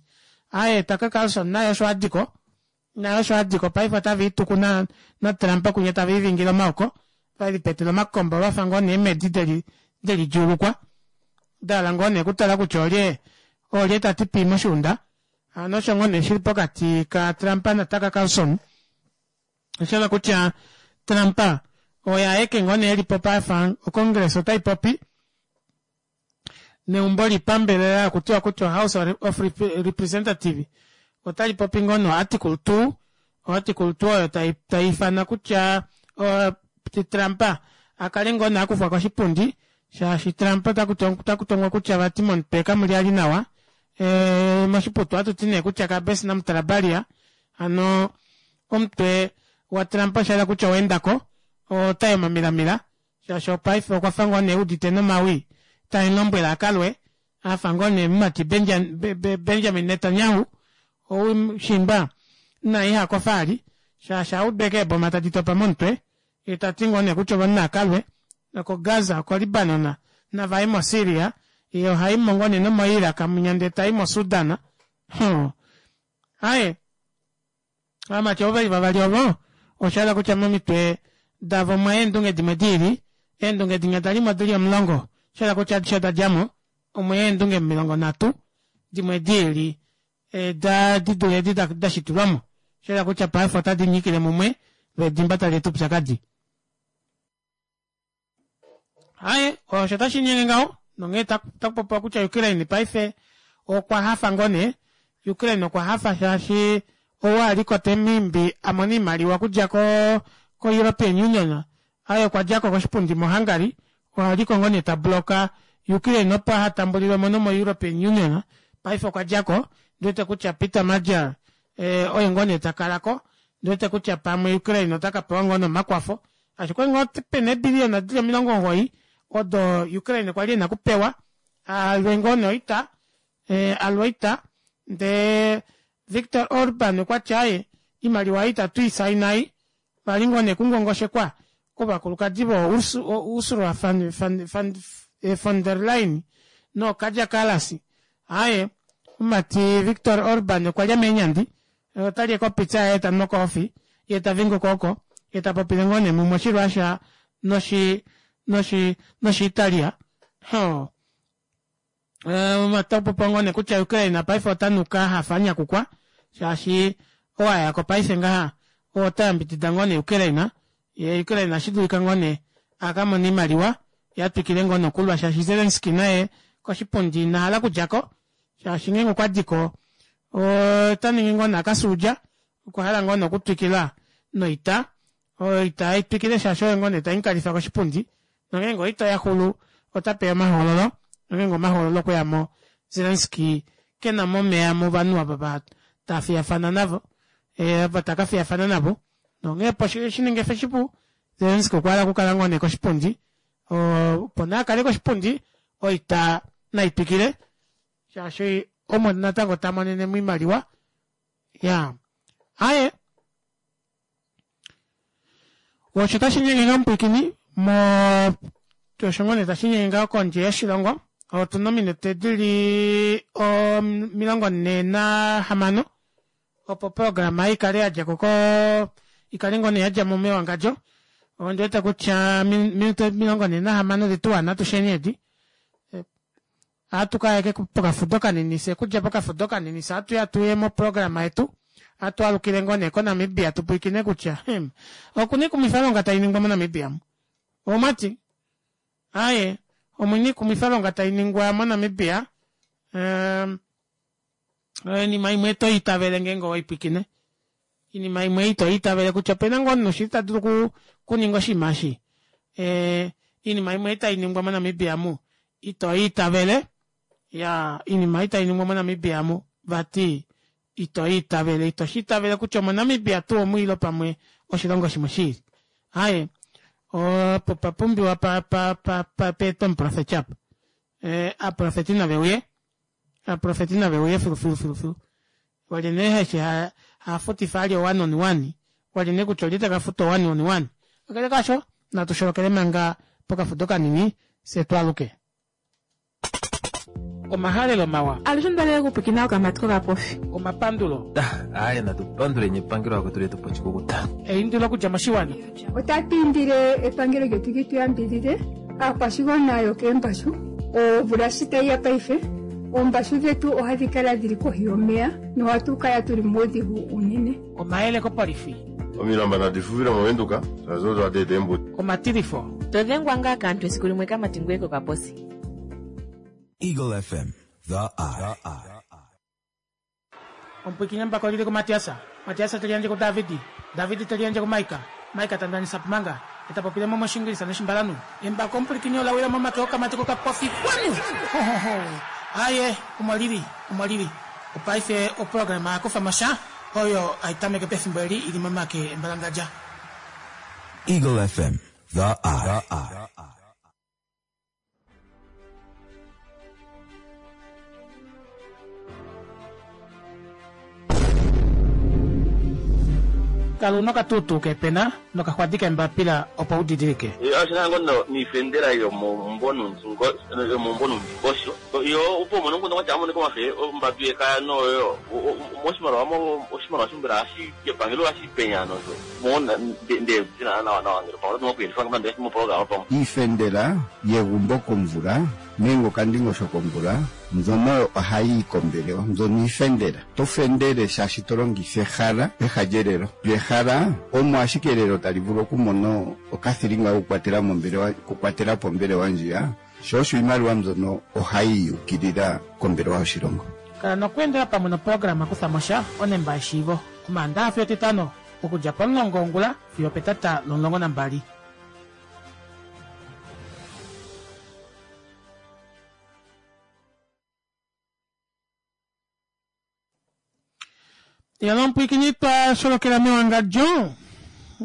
aye Tucker Carlson naye osho adiko naye osho adiko paife otava ituku na, na Trump kunya tava ivingile omaoko ve lipetele omakombo vafa ngoo nee eemhedi deli deli djuulukwa da hala ngoo nee okutala kutya olye olye ta ti pii moshuunda hano osho ngoo nee shili pokati ka Trump na Tucker Carlson osha kutya Trump oye aeke ngoo nee elipo pafa oCongress otai popi neumbo lipambelela okutiwa kutya House of Representative otali popi ngoo no Article 2 Article 2 oyo tai tai ifana kutya uh, Trump a kale ngoo nee a kufwa koshipundi shaashi Trump ota kutongwa kutya vati momutwe kamuli ali nawa e, moshiputu ohatu ti nee kutya kabesi namutalabalia hano omutwe waTrump osha yela kutya oweendako otai omamilamila shaashi opaife okwa fa ngoo nee udite nomawi tae lombwele a kalwe afa ngoo nee mumati Benjamin Netanyahu ou shimba na iha kofa ali shaashi audeke eeboma tadi topa momutwe ye ta ti ngoo nee kutya ovanhu naakalwe noko Gaza oko Libanon navaye mo Syria ye ohaimo ngoo nee nomo Iraq munya ndee tai mo Sudan huh. Aye Ovamati ovo ve li vavali ovo, osha yela kutya momitwe davo omwa ya eendunge dimwe di lili. Eendunge dinya da li mo di li omulongo, osha yela kutya adishe oda dja mo. Omwe ya eendunge 30 dimwe di lili da di dule edi da shitilwa mo. Osha yela kutya paife otadi nyikile mumwe lo edimba tali eta oupyakadi. Aye, osho tashi nyenge ngaho nonghee taku popiwa kutya Ukraine paife okwa hafa ngoo nee. Ukraine okwa hafa shaashi ou a li ko te mu imbi a mone oimaliwa okudja ko ko-European Union, aye okwa dja ko koshipundi moHungary, oha li ko ngoo nee ta bloka Ukraine opo aha tambulilwe mo nomo-European Union. Paife okwa dja ko, ndi wete kutya Peter Magyar eh, oye ngoo nee ta kala ko. Ndi wete kutya pamwe Ukraine ota ka pewa ngoo nee omakwafo Ashike ngoo pena eebiliyona dili 90 odo Ukraine kwa li ena okupewa alwe ngoo nee oita, alwe oita ndee Viktor Orban okwa ti aaye imaliwa ei itatu i saina ei, vali ngoo nee kungongoshekwa kovakulukadi voo Ursula von der Leyen noo Kaja Kallas. Aaye omumati Viktor Orban okwa lya meenyandi Ota li ekopitsa yaye ta nu okoofi, ye ta vinguka oko, ye ta popile ngoo nee mumwe Oshirussia noshi, noshi, nOshiitalia. Hoo. Ota popiwa ngoo nee kutya Ukraine paife ota nuka hafa a nyakukwa, shaashi oo a ya ko paife ngaha ota yambidida ngoo nee Ukraine, ye Ukraine ohashi dulika ngoo nee a ka mone oimaliwa ye a twikile ngoo nokulwa shaashi Zelensky naye koshipundi ina hala okudja ko, shaashi ngeenge okwa di ko ota ningi ngoo nakasuudja okwa hala ngoo nokutwikila noita oita ai twikile shaashi oyo ngoo nee tai mukalifa koshipundi nongeenge oita oya xulu ota peya omahoololo nongeenge omahoololo okwe ya mo Zelensky ke na mo omeya movanhu ava va ta fiyafana navo ava ta ka fiyafana navo nonghee opo shi ninge fe shipu Zelensky okwa hala okukala ngoo nee koshipundi opo nee a kale koshipundi oita nai twikile shaashi omo natango ta monene mo oimaliwa ya aye osho tashi nyenge ngaho mupwiikini mo osho ngoo nee tashi nyenge ngaho kondje yoshilongo otu na ominute dili 46 opo oprograma i kale ya dja ko i kale ngoo nee ya dja mo mewangadjo ondi wete kutya minute 46 odetu wana atusheni edi Ohatu ka ya pokafudo kanini fye okudja pokafudo kanini fye ohatu ya tuye moprograma yetu ohatu alukile ngoo nee koNamibia tu pwilikine kutya hmm, okuna ikumwifalonga tai ningwa moNamibia mu omwati aye omuna ikumwifalonga tai ningwa moNamibia um, Oinima imwe to itavele ngeenge owaipwikine. Iinima imwe ito itavele kutya opena ngoo omunhu shili ta dulu okuninga oshinima eshi. Iinima imwe tai ningwa moNamibia mu ito itavele. Ya iinima ei tai ningwa moNamibia mu vati ito itavele. Ito shi itavele kutya omoNamibia tuu omu ile pamwe oshilongo shimwe shiili. Aaye opo pa pumbiwa pa pa pa pa peetwe omuprofeti apa. Aaprofeti nave uye. Aaprofeti nave uye filu filu filu filu. Walye nee heshi ha hafutifa ali one on one. Walye nee kutya olye taka futa one on one. Kakele kaasho natu sholokele manga pokafudo kanini fye twaaluke. Omahalelo mawa. Alushe onda hala okupwiikina okamati kokapofi. Omapandulo. Aaye natu panduleni epangelo akwetu letu po oshikukuta. Eindilo okudja moshiwana. Otatu indile epangelo lyetu li tu yambidhidhe aakwashigwana yokeembashu. Omvula shi tayi ya paife, oombashu dhetu ohadhi kala dhili kohi yomeya nohatu kala tuli muudhigu uunene. Omayele kopolifi. Omilamba nadi fuvile mOvenduka, shaashi odo hadi eta eembuto. Omatilifo. To dhengwa ngaa kaantu esiku limwe kamati ngoye kokaposi. Eagle FM, the eye. Omupwiikini embako olili kuMatias, Matias te liyandje kuDavid, David te liyandje kuMaika, Maika ta ndanisa Pumanga, e ta popile mo mOshiingilisa nOshimbalanhu. Embako omupwilikini ola wila momake okamati kokapofi kwanu! Ho, ho, ho! Aaye, omo lili, omo lili. Opaife oprograma ya kufa mo sha, oyo hai tameke pefimbo eli i li momake embalangadja. Eagle FM, the eye. Kala una okatuutuu keepena nokaxwadi keembapila opo u didilike. Oshina ngo niifendela yomomumvo nuundingosho yo opo umone omukundu kwatya amonike omafe ombatu yekaya noyo moshimaliwa oshimaliwa shombela hashi kepangelo hashi penya nosho Iifendela yegumbo komvula nenge okandingosho komvula mbyono oyo ohayi yi kombelewa. Mbyono iifendela. To fendele shaashi to longitha ehala peha lyelelo. Lyo ehala omo ashike elelo tali vulu okumona okathilinga kokukwatela mombelewa, okukwatela po ombelewa ndjiya. Sho osho iimaliwa mbyono ohayi yi ukilila kombelewa yoshilongo. Kala nokweendela pamwe noprograma Kutha mo sha, Onemba yeshiivo, Omaandaha fiyo Etitano, okudja pomulongo wongula fiyo opetata lomulongo nambali. Yalo omupwiikini twa sholokela mewangadjo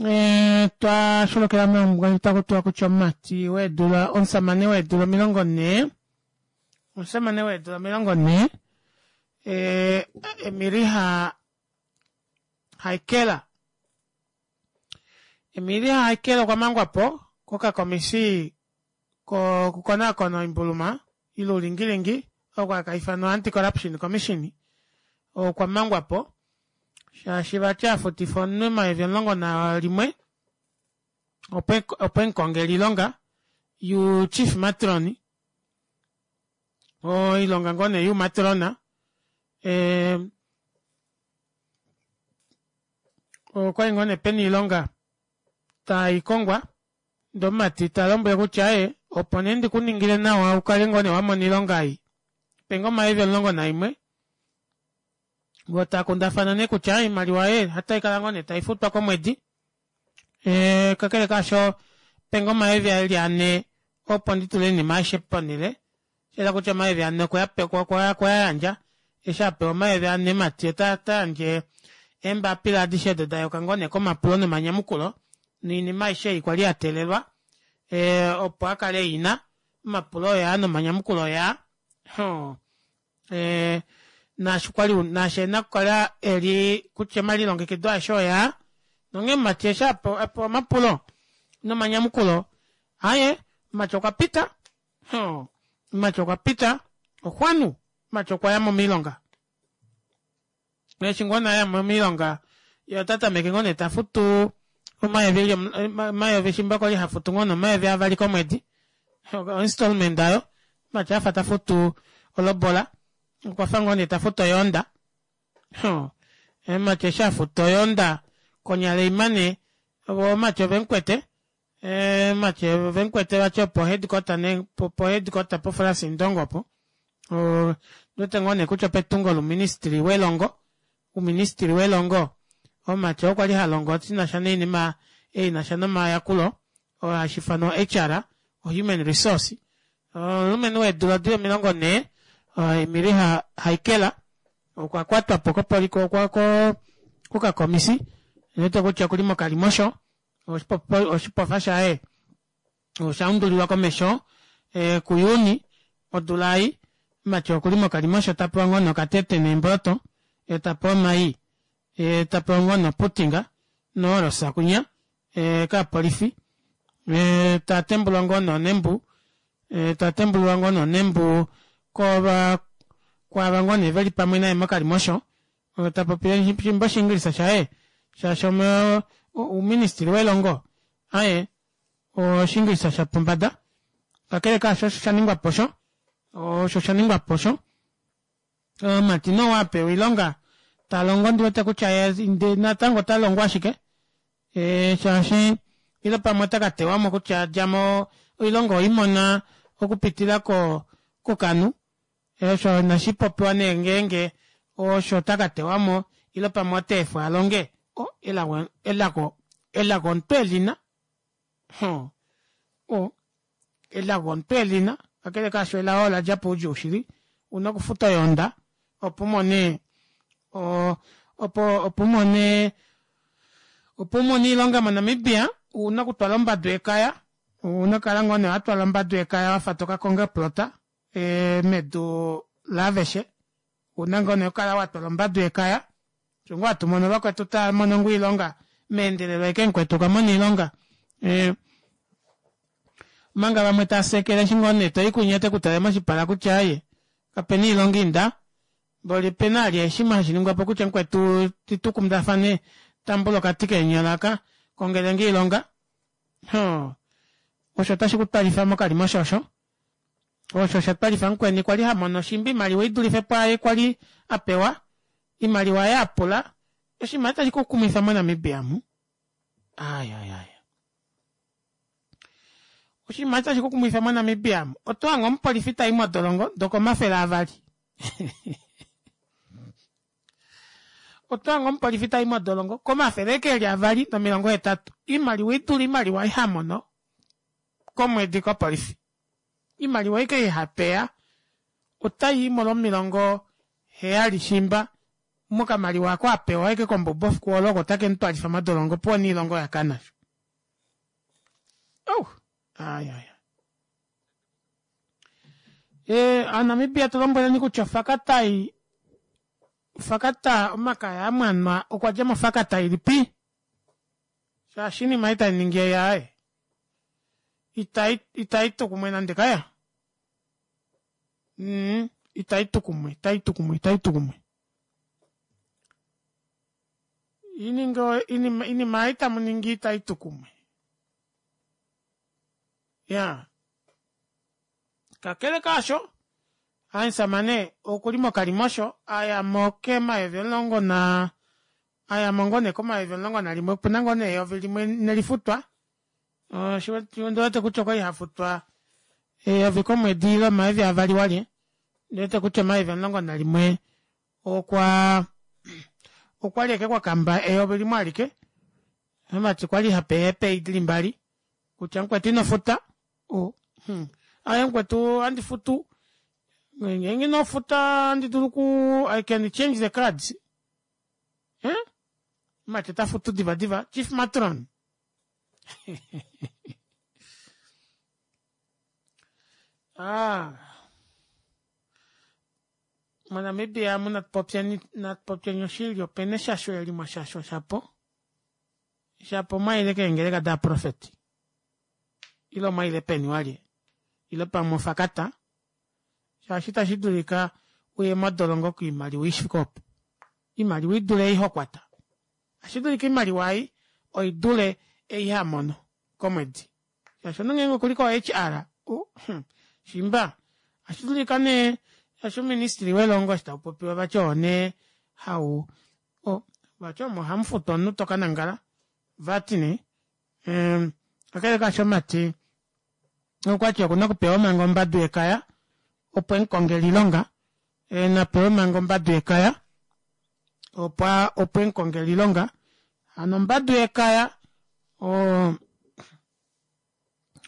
eh, twa sholokela mewangadjo taku tiwa kutya omumati weedula omusamane weedula 40 omusamane weedula 40 eh, Emiliha Haikela Emilia Haikela okwa mangwa po kokakomisi kokukonaakona oimbuluma ile oulingilingi oko haka ifanwa Anti-Corruption Commission okwa mangwa po shaashi vati a futifa omunhu omayovi 11 opo emukongele oilonga you chief matron oilonga ngoo nee youmatrona eh, okwali ngoo nee pena oilonga tai kongwa ndee omumati ta lombwele kutya ee opo nee ndi ku ningile nawa u kale ngoo nee wa mona oilonga ei penge omayovi 11 vo taa kundafana nee kutya oimaliwa ee otai kala ngoo nee tai futwa komwedi ee kakele kaasho penge omayovi eli ane opo ndi tule oinima aishe ponhele shayela kutya omayovi ane okwa yandja eshi a pewa omayovi ane mati ota yandje eembapila adishe odo da yuka ngoo nee komapulo nomanyamukulo noinima aishe ei kwali ya teelelwa eh, opo a kale ina omapulo oyaa nomanyamukulo oyaa eh, naashi kwali naashi ena okukala eli kutya omalilongekido aeshe oyaa nonghee mati eshi a pewa omapulo nomanyamukulo aye mati okwa pita Mati okwa pita oxwanu mati okwa ya mo miilonga eshi ngoo nee aya mo miilonga ye ota tameke ngoo nee ta futu omayovi eli omayovi shimba kwali ha futu ngoo nee omayovi avali komwedi oinstallment ayo mati afa ta futu olobola okwa fa ngoo nee ta futu oyoonda mati eshi a futa oyoonda konyala imane vo mati ovemukwete Eh, mati ovemukwete vati opo headquarter ne po headquarter po Frans Indongo opo. Ndiwete ngoo nee kutya opetungo louministry welongo ouministry welongo omumati oo kwali ha longo shinasha noinima inasha nomayakulo oo hashi ifanwa HR o human resource omulumenhu weedula dili 40 Emily Haikela okwa kwatwa po kopolifi kokakomisi ndiwete kutya okuli mokalimosho oshipofa shaye osha undulilwa komesho eh, kuJuni odula ei. Mati okuli mokalimosho ta pewa ngoo nokatete neemboloto, ye ta pewa omai, ye ta pewa ngoo noputinga noolosa kunya eh, kaapolifi eh, ta tembulwa ngoo noonembu eh, ta tembulilwa ngoo noonembu kova kwaava ngoo nee veli pamwe naye mokalimosho ta popile shimba oshiingilisa shaye shaashi ouministili welongo aye Oshiingilisa shapombada. Kakele kaasho osho sha ningwa po osho, osho sha ningwa po osho. Omumati nee ou a pewa oilonga ta longo ndi wete kutya ye natango ota longo ashike shaashi ile pamwe ota ka tewa mo kutya dja mo oilonga owei mona okupitila kokanhu. Osho inashi popiwa nee ngeenge osho ota ka tewa mo ile pamwe ota efwa a longe. Elago elago elago omuntu e li na. Huh. O, elago omuntu e li na. Kakele kaasho elao ola dja poudjuu shili. U na okufuta oyoonda opo u mone o, opo, opo u mone, opo u mone oilonga moNamibia, u na okutwala ombadu yekaya. U na okukala ngoo nee wa twala ombadu yekaya wa fa to ka konga oplota e, medu laaveshe. U na ngoo nee okukala wa twala ombadu yekaya. Osho ngoo hatu mono vakwetu tava mono ngoo oilonga meendelelo ashike mukwetu okwa mona oilonga. Eh, omanga vamwe tava sekele eshi ngoo nee to i kunya te ku tale moshipala kutya aye kapena oilonga inda. Mboli opena vali shimwe hashi ningwa po kutya mukwetu tu kundafane tambula okati keenyola aka kongele nge oilonga. Hoo, osho otashi ku twalifa mokalimosho osho. Osho osha twalifa mukweni kwali ha mono shimba oimaliwa i dulife pwaayo kwali a pewa. Oimaliwa oye a pula. Oshinima tashi ku kumwifa moNamibia mu. Ai, ai, ai. Oshinima tashi ku kumwifa moNamibia mu. Oto hange omupolifi ta i modolongo ndoko 200. Oto hange omupolifi ta i modolongo komafele eke eli 280. Oimaliwa i dule oimaliwa ei ha mono komwedi kopolifi. Iimaliwa aike ei ha peya otai i molwomilongo heyali shimba mokamaliwa ako a pewa aike kombubo efiku olo oko take mu twalifa modolongo opuwo niilonga oya kana sho. Oh, ai ai. E, Aanamibia tu lombweleni kutya ofakatai ofakata omakaya amwanwa okwa dja mofakata ilipi? Shaashi iinima ei tai ningi ei aaye itai itai tu kumwe nande kaya. Mm, itai tu kumwe, itai tu kumwe, itai tu kumwe. Ininga inima inima ei tamu ningi itai tu kumwe. Ya. Kakele kaasho, omusamane okuli mokalimosho a ya mo kemayovi omulongo na a ya mo ngoo nee komayovi 11 opu na ngoo nee eyovi limwe nelifutwa ondi wete kutya okwali ha futwa eyovi komwedi ile omayovi avali walye ndi wete kutya omayovi 11 okwa okwali eke kwa kamba eyovi limwe alike vati kwali ha pe eepeyi dili mbali kutya mukwetu ino futa o hmm. aye mukwetu andi futu ngeenge ino futa andi dulu ku i can change the cards eh? mati ota futu diva diva chief matron ah. monamibia mu natupopyeni natupopyeni oshili opena eshasho eli mwashashwa shapo shapo mwaile keengeleka daaprofeti ile omwaile peni walye ile pamwe ofakata shaashi itashi dulika uye modolongo koimaliwa ishike opo imaliwa idule ei hokwata ashi dulika imaliwa ei oidule ei hamono komwedi shaashi omunhu ngeenge okuli ko HR hmm, shimba ashi dulika nee shaashi ouministili welongo eshi tau popiwa vati oo nee hau vati omo hamu futwa omunhu toka nangala vati nee kakele kaasho mati okwati okuna okupewa manga ombadu yekaya. opo emukongele iilonga napewe manga ombadu yekaya opo opo emukongele iilonga hano ombadu yekaya o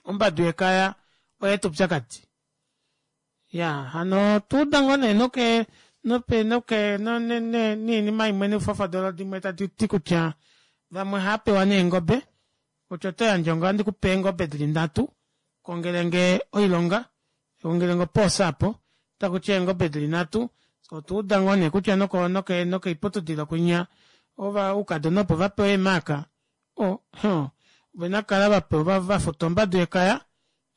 ombadu yekaya oyeeta oupyakadi ya hano tuuda ngoo nee noke nope noke niinima imwe neufafadolo dimwe tadi ti kutya vamwe ohaapewa neengobe kutya oto yandje onga ohandi kupe eengobe dili nhatu kongelenge oilonga kongelenge opoosa apo takuti eengobe dili nhatu otwa uda ngoo nee kutya noko noke nokoiputudilo kwinya ova oukadona opo vapewa eemaaka o huh ovena okukala vapewa vafuta ombadu yekaya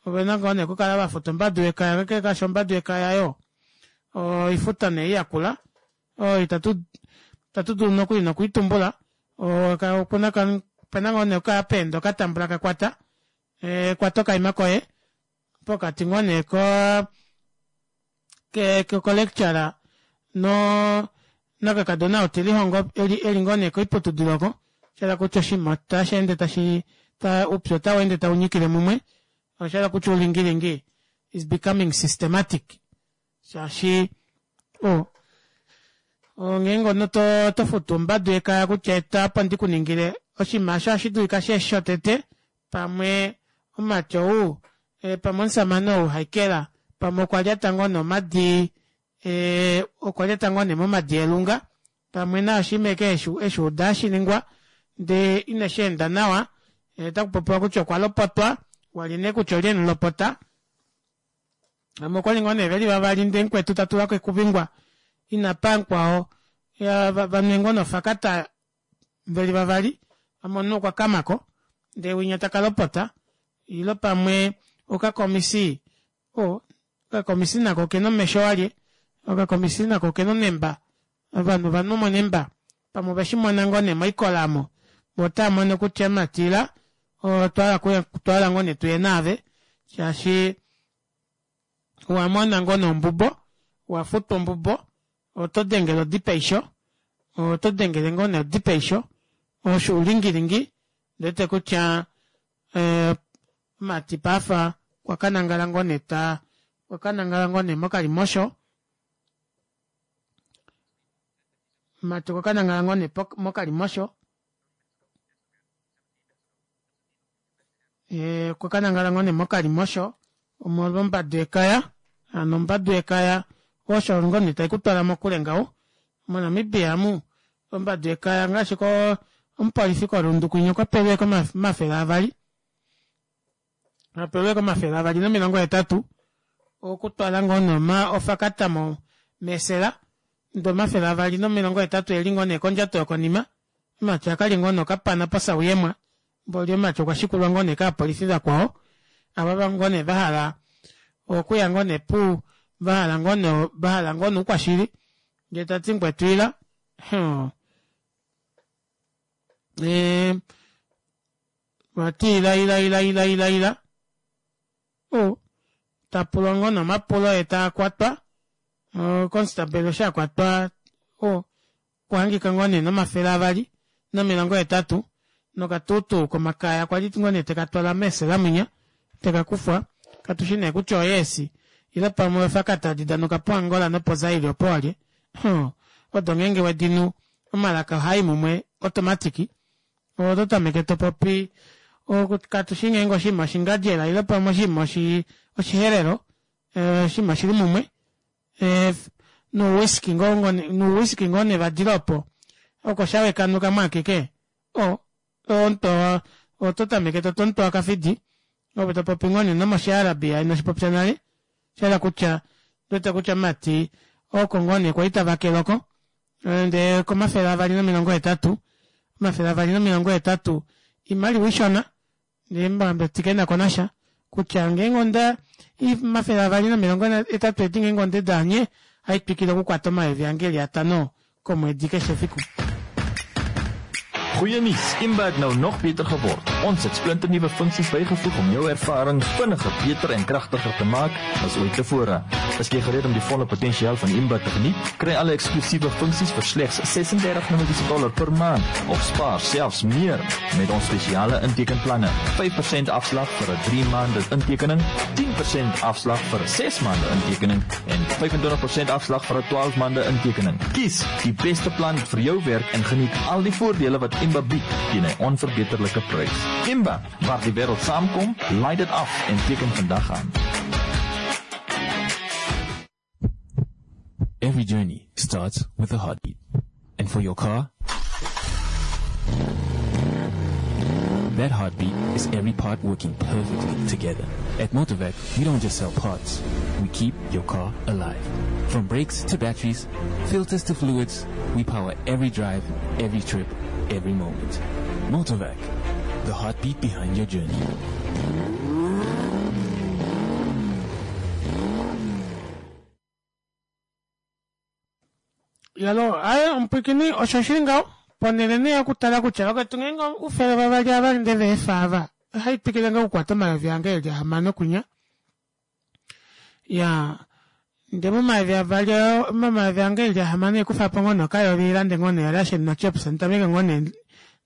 ovena ngoo nee okukala vafuta ombadu yekaya kakele kaasho ombadu yekaya yo oifuta nee yakula oyo itatu itatu dulu nokuli nokuitumbula okuna opena ngoo nee okapeendo katambula kakwata kwata okaima koye pokati ngoo nee ko ke ko lecturer no nakakadona ou telihongo eli eli ngoo nee koiputudilo oko sha kutya oshinima otashi ende tashi ta upyu otau ende tau nyikile mumwe osha kutya oulingilingi is becoming systematic shaashi o ngeenge omunhu to to futu ombadu yekaya kutya eta opo ndi ku ningile oshinima osho ohashi dulika shi shotete pamwe omumati ou e, pamwe omusamane ou haikela pamwe okwa lyata ngoo nee omadi e, okwa lyata ngoo nee momadi elunga pamwe nayo oshinima eke eshi uda hashi ningwa ndee ineshi enda nawa e, otaku popiwa kutya okwa lopotwa wali nee kutya olye emulopota Vamwe okwali ngoo nee veli vavali ndee mukwetu ta tulako ekuvingwa inapa mukwao vanwe ngoo nofakata veli vavali pamwe omunhu okwa kamako ndee winya taka lopota ilo pamwe okakomisi o okakomisi nako okena omesho walye okakomisi nako okena onemba ovanhu ovanhu monemba pamwe oveshimona ngoo nee moikola omo vo otava mono kutya matila otwa hala ngoo nee tuye naave shaashi owa mona ngoo nee ombubo owa futwa ombubo oto dengele odi peisho oto dengele ngoo nee odi peisho osho oulingilingi ndiwete kutya omumati paife okwa kanangala ngoo nee ta okwa kanangala ngoo nee mokalimosho omumati okwa kanangala ngoo nee mokalimosho okwa kanangala ngoo nee mokalimosho omolwa ombadu yekaya hano ombadu yekaya osho ngoo nee taikutwala mokule ngaho moNamibia amu ombadu yekaya ngaashi ko omupolifi koRundu kwinya okwa pelwe 200 apelwe 280 okutwala ngoo nee ofakata mo mesela ndee 280 eli ngoo nee kondjato yokonima omumati akali ngoo nee okapana posauyemwa mboli omumati okwa shikulwa ngoo nee kaapolifi vakwao ava ngoo nee vahala okuya ngoo nee pu vahala ngoo nee vahala ngoo nee oukwashili ndee tati mukwetu ila vati ila ila ila ila ila ila o tapulwa ngoo nee omapulo ye taakwatwa constabel eshi akwatwa o okuhangika ngoo nee no280 nokatutu komakaya kwali ngoo nee tekatwala meesela mwinya tekakufwa katushi nee kutya oyeesi ile pamwe ofakata tadi danuka poAngola nopoZaire opo walye odo ngeenge wedinu omalaka ohaai mumwe automatic oto tameke topopi katushi ngeenge oshinima oshingadjela ile pamwe oshinima oshiherero oshinima oshili mumwe nouwhiskey ngoo nouwhiskey ngoo nevadilo opo oko shawekanuka mwaakeke o oto tameke toto omutu wakafidi ove topopi ngoo nee nomoshiarabia inoshipopya nale shahala kutya ndiwete kutya mati oko ngoo nee kwali tavakele oko ndee ko280 280 oimaliwa ishona ndee mbati kenako nasha kutya ngeenge onda 280 edi ngeenge onde daanye haitwikile okukwata omayovi ange eli atano komwedi keshe efiku. Goeie nuus, IMBA het nou nog beter geword. Ons het splinternuwe funksies bygevoeg om jou ervaring vinniger, beter en kragtiger te maak as ooit tevore. Is jy gereed om die volle potensiaal van Imba te geniet? Kry alle eksklusiewe funksies vir slegs 36 Namibiese dollar per maand of spaar selfs meer met ons spesiale intekenplanne. 5% afslag vir 'n 3 maande intekening, 10% afslag vir 'n 6 maande intekening en 25% afslag vir 'n 12 maande intekening. Kies die beste plan vir jou werk en geniet al die voordele wat Imba bied teen 'n onverbeterlike prys. Imba, waar die wêreld saamkom, laai dit af en teken vandag aan. Every journey starts with a heartbeat. And for your car, that heartbeat is every part working perfectly together. At Motorvac, we don't just sell parts, we keep your car alive. From brakes to batteries, filters to fluids, we power every drive, every trip, every moment. Motorvac, the heartbeat behind your journey. Yalo, aye omupwiikini osho shili ngaho ponhele nee okutala kutya vakwetu ngeenge oufele vavali ava ndele veefa ava ohai twikile ngoo okukwata omayovi ange eli ahamano kunya ya nde momayovi avali momayovi ange eli ahamano ekufa po ngoo nokayovi lande ngoo nee ration nochips nditameke ngoo nee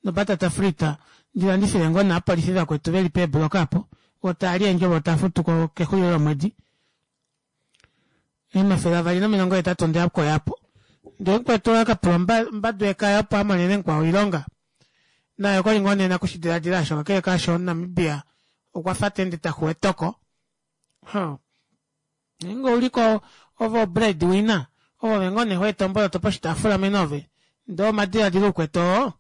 nobatata frita ndi landifile ngoo naapolifi vakwetu veli peebloka apo vo taali eendjovo tafutu ko kexulilo lomwedi 280 onde ya po ndee mukwetu owa ka pula ombadu yekaya opo a monene mukwao oilonga naye okwali ngoo nee nakushidiladila osho kakele kaasho omunamibia okwa fa ta ende taxu etoko huh. Ngeenge ouliko ove o breadwinner ove ngoo nee hoeta omboloto poshitaafula mene ove ndee omadiladilo ukwetu oo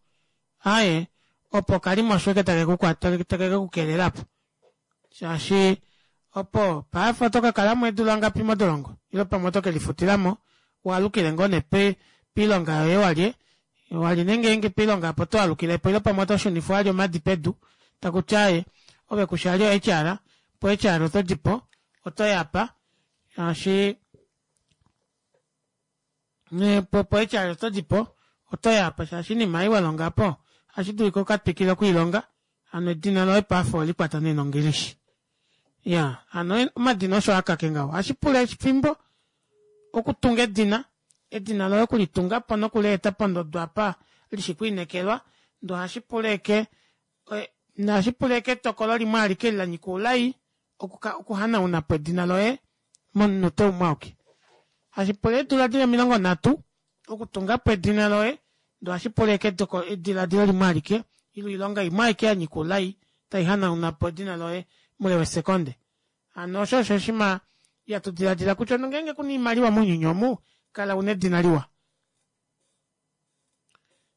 aaye opo okalimosho eke take ku take ke ku kelela po shaashi opo paife oto ka kala mo eedula ngapi modolongo ile pamwe oto ke lifutila mo waalukile ngoo nee piilonga yoye walye wali nee ngeenge piilonga apo oto alukile po ile pamwe oto shunifwa wali omadi pedu taku ti aaye ove kushi ali o-HR po HR oto di po oto yapa shaashi po po HR oto di po oto yapa shaashi inima ei wa longa po ohashi dulika uka twikile okuilonga hano edina loye paife oweli kwata nee nongilishi ya hano omadina osho akake ngaho ohashi pula efimbo okutunga edina edina loye okulitunga po nokuleeta pondodo apa lishi kwiinekelwa ndee ohashi pula eke nohashi pula eke etokolo limwe alike li la nyika oulai okuhanauna po edina loye momunute umwe auke. Hashi pula eedula dili 30 okutunga po edina loye, ndee ohashi pula eke ediladilo limwe alike ile oilonga imwe aike ya nyika oulai tai hanauna po edina loye moule wesekonde. Hano osho osho oshima ihatu diladila kutya nongeenge kuna oimaliwa mounyuni omu, kala una edina liwa.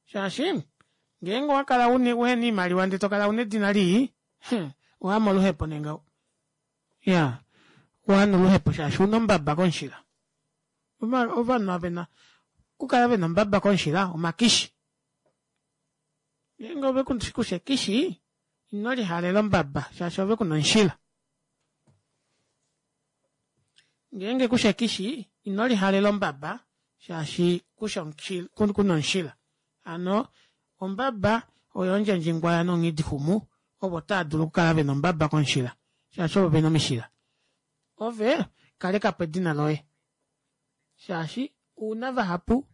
Shaashi ngeenge owa kala uhena oimaliwa ndee to kala una edina lii, owa moluhepo nee ngaho. Ya, owa noluhepo shaashi una ombaba komushila. Ovanhu ava vena okukala vena ombaba komushila omakishi. Ngeenge ove kusha ekishi, ino lihalela ombaba shaashi ove kuna omushila. Ngeenge kusha ekishi, ino lihalela ombaba shaashi kusha kuna omushila. Hano ombaba oyo ondjendjingwaya nonghidixumu ovo tava dulu okukala vena ombaba komushila shaashi ovo vena omishila. Ove kaleka po edina loye shaashi ouna vahapu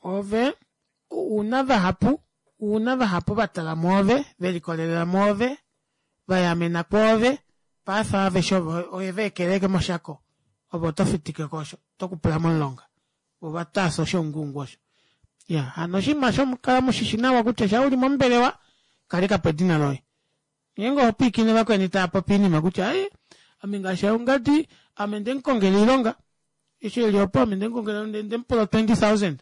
Ove ouna vahapu ouna vahapu va tala mwoove, ve likolelela mwoove, va yamena kwoove, paife aveshe ovo oye va ekeleke moshako, ove oto fitike ko osho, oto kupula momulonga. Vo va taasa oshounguungu osho. Ya, hano oshinima osho kala mu shi shi nawa kutya sha u li mombelewa, kaleka po edina loye. Ngeenge oho pwiikine vakweni tava popi oinima kutya ai ame ngaashi ongadi ame nde mu kongela oilonga eshi eli opo ame nde mu kongela nde mu pula 20000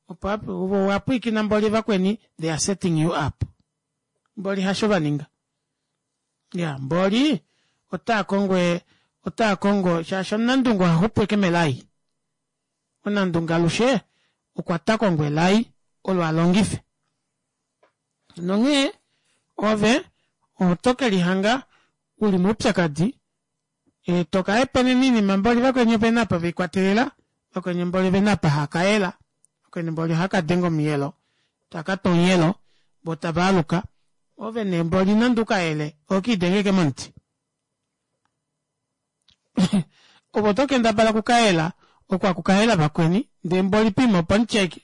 opo ovo wa pwiikina mboli vakweni they are setting you up mboli hasho va ninga ya mboli otaa kongo otaa kongo shaashi omunandungu oha xupu eke melai omunandungu alushe okwa ta kongo elai olo a longife Nonghee ove oto ke lihanga u li moupyakadi, e to ka hepenena oinima mboli vakweni ope na apa ve i kwatelela. Vakweni mboli vena apa haka yela. Vakweni mboli ohaka denge omuyelo. Taka tu omuyelo vo tava aluka. Ove nee mboli nande ukayele ohokiidenge momuti. Ove oto kendabala okukayela oko aku kayela vakweni ndee mboli poima opo mutyeke.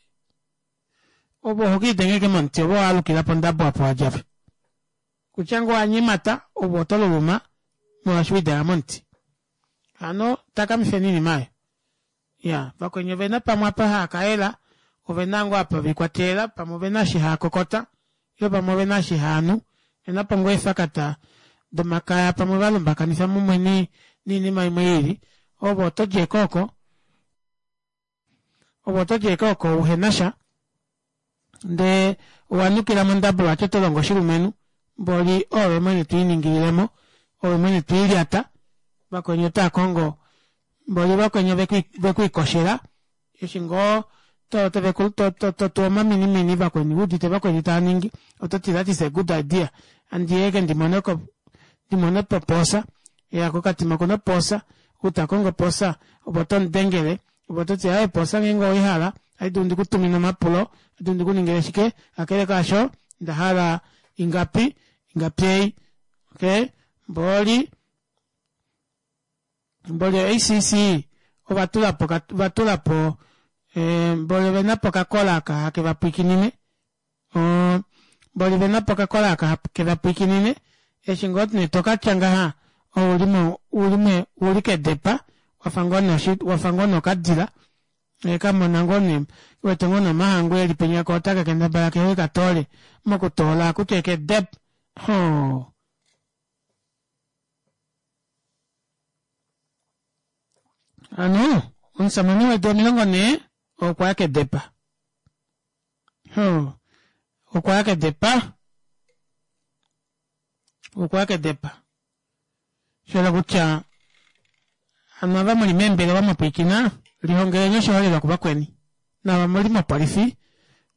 Ove ohokiidenge momuti ove owaalukila pondabo apo wadja apa. Kutya ngoo owa nyemata ove oto luluma molwaashi wiidenga momuti. Hano takamifeni oinima aayo. Iya, vakweni ovena pamwe apa haa kayela, ovena ngoo apa velikwatelela, pamwe ovena eshi haa kokota, ile pamwe ovena eshi haa nu, ovena po ngoo eefakata domakaya pamwe va lumbakanifa mumwe niinima imwe iili, ove oto di eke oko, ove oto di eke oko uhena sha, ndee owa nukila mondabo vati oto longo oshilumenhu, mboli oove mwene to iningilile mo, oove mwene to ilyata, vakweni otaa kongo mboli vakweni ovekwiikoshela eshi ngoo to to to to to tu omaminimini vakweni wuudite vakweni taa ningi oto ti that is a good idea andiyeke ndimone ko ndimone popoosa ya kokatima okuna opoosa ou ta kongo opoosa ove oto mudengele ove oto ti aaye opoosa ngeenge oweihala ohandi dulu ndikutumine omapulo ohandi dulu ndikuningile shike kakele kaasho onda hala ingapi ingapi ei okay mboli mboli o-ACC ova tula po va tula po eh, mboli ovena po okakola aka hake va pwikinine mboli vena po okakola aka hake va pwikinine eshi ngoo nee to ka tya ngaha ouli mo uli me uli kedepa wafa ngoo nee wafa ngoo nee okadila e ka mona ngoo nee wete ngoo nee omahangu eli penya ko otaka kendabala kehe ka toole mokutoola kutya ekedep hoo Hano omusamane wedu 40 okwa ya kedepa. Hoo, okwa ya kedepa. Okwa ya kedepa. Shela kutya hano ava muli meembelewa mwa pwiikina, lihongeleni oshiholelwa kuvakweni. Naava muli mopolifi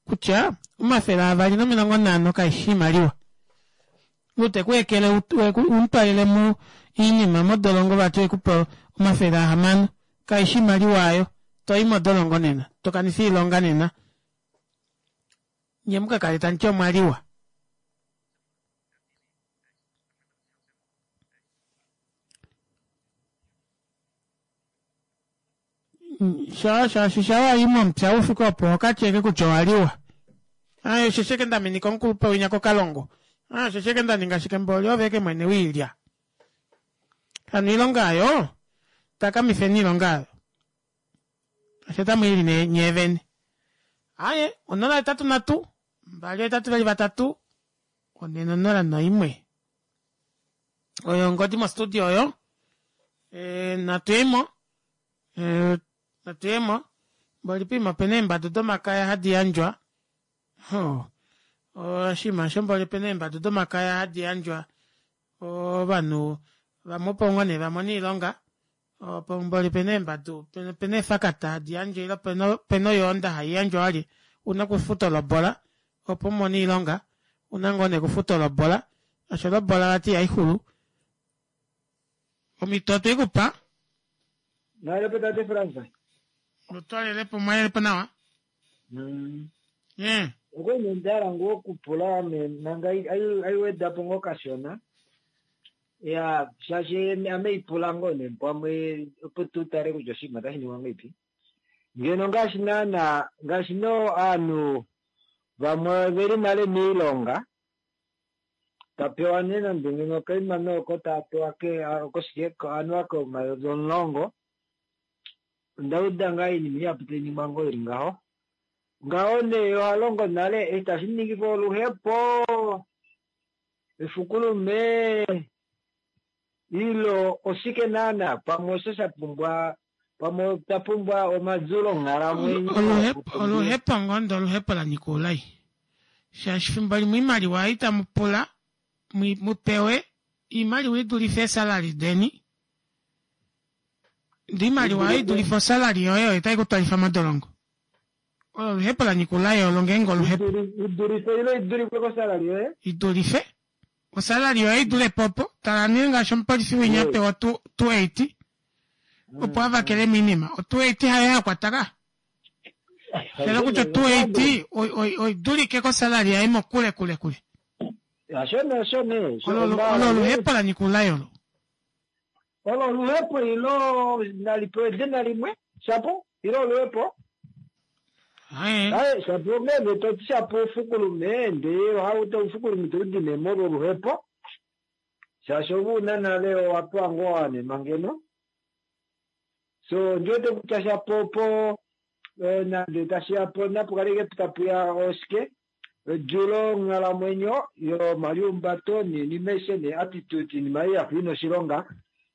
kutya 250 kaishi iimaliwa. Ou te ku ekele u mu twalele mu iinima modolongo vati oye ku pe 600 kaishi iimaliwa aayo. To i modolongo nena, to kanifa iilonga nena. Nye mu ka kale tamu ti omwa liwa. Sha shaashi sha wa yi momupya wu fike opo oho ka tyeke kutya owa liwa. Aaye osheshi eke nda minika omukulupe winya kokalongo. Aaye osheshi eke nda ninga shike mboli ove eke mwene wiilya. Hano iilonga ayo takamifeni iilonga ayo. Osho tamu ili nee nyee vene. Aaye 083 2 8 4 0 1. Oyo ongodi mostudio oyo. E, natu yemo. E, natu yemo. Mboli poima opena eembadu domakaya hadi yandjwa. Ho. Oshinima osho mboli opena eembadu domakaya hadi yandjwa ovanhu vamwe opo ngoo nee va mone iilonga. Opo mboli opena eembadu, opena eefakata hadi yandjwa ile opena oyoonda hai yandjwa wali una okufuta olobola opo u mone iilonga. Una ngoo nee okufuta olobola, shaashi olobola vati ihai xulu. Omhito otwe i ku pa. Mwalelepo tate Frans. Otwalelepo mwalelepo nawa. Eh. Okwali nee nda hala ngoo okupula ame manga ai wedapo ngoo kashona. Ya shaashi ame ipula ngoo nee pamwe opo tu tale kutya oshinima otashi ningwa ngahelipi. Ngeno ngaashi naana ngaashi no ovanhu vamwe veli nale miilonga ta pewa nee nande ngeno okaima nooko taa pewa ke koshike anuwa komayovi 10. Onda uda ngaa oinima ihapu tai ningwa ngoo ili ngaho. Ngaho nee oha longo nale eshi tashi ningifa oluhepo efukulume ilo oshike naana pamwe osho sha pumbwa pamwe ta pumbwa omazulo onghalamwenyo. Oluhepo ngoo ndee oluhepo la nyika oulai. Shaashi fimbo limwe oimaliwa ei tamu pula mu pewe oimaliwa i dulife eesalary deni. Ndee oimaliwa ei i dulife osalary yoye oyo tai ku twalifa modolongo. Olo oluhepo la nyika oulai olo ngeenge oluhepo. I dulife ile i dulifwe kosalary yoye? I dulife. Osalary yoye i dule po opo. Tala nee ngaashi omupolifi winya a pewa 280. Opo a vakele moinima. O 280 hayo ya kwata ka. Shela kutya o 280 oi dulike kosalary yaye mokule kule kule. Asho ne osho ne. Olo oluhepo la nyika oulai olo. Olo oluhepo ilo nali pewe edina limwe shapo ilo oluhepo. Aye shapo ngenge toti shapo ufukulume ndee ohauto ufukulume toudine molwo oluhepo shaashi ove una nale owa pewa ngoo wa wanenwa ngeno. So ondiwete kutya shapo opo nande tashiya po napu kale tapuya oshike odjulo onghalamwenyo yomaliumbato noinima aishe nee attitude inima ei yafa ina oshilonga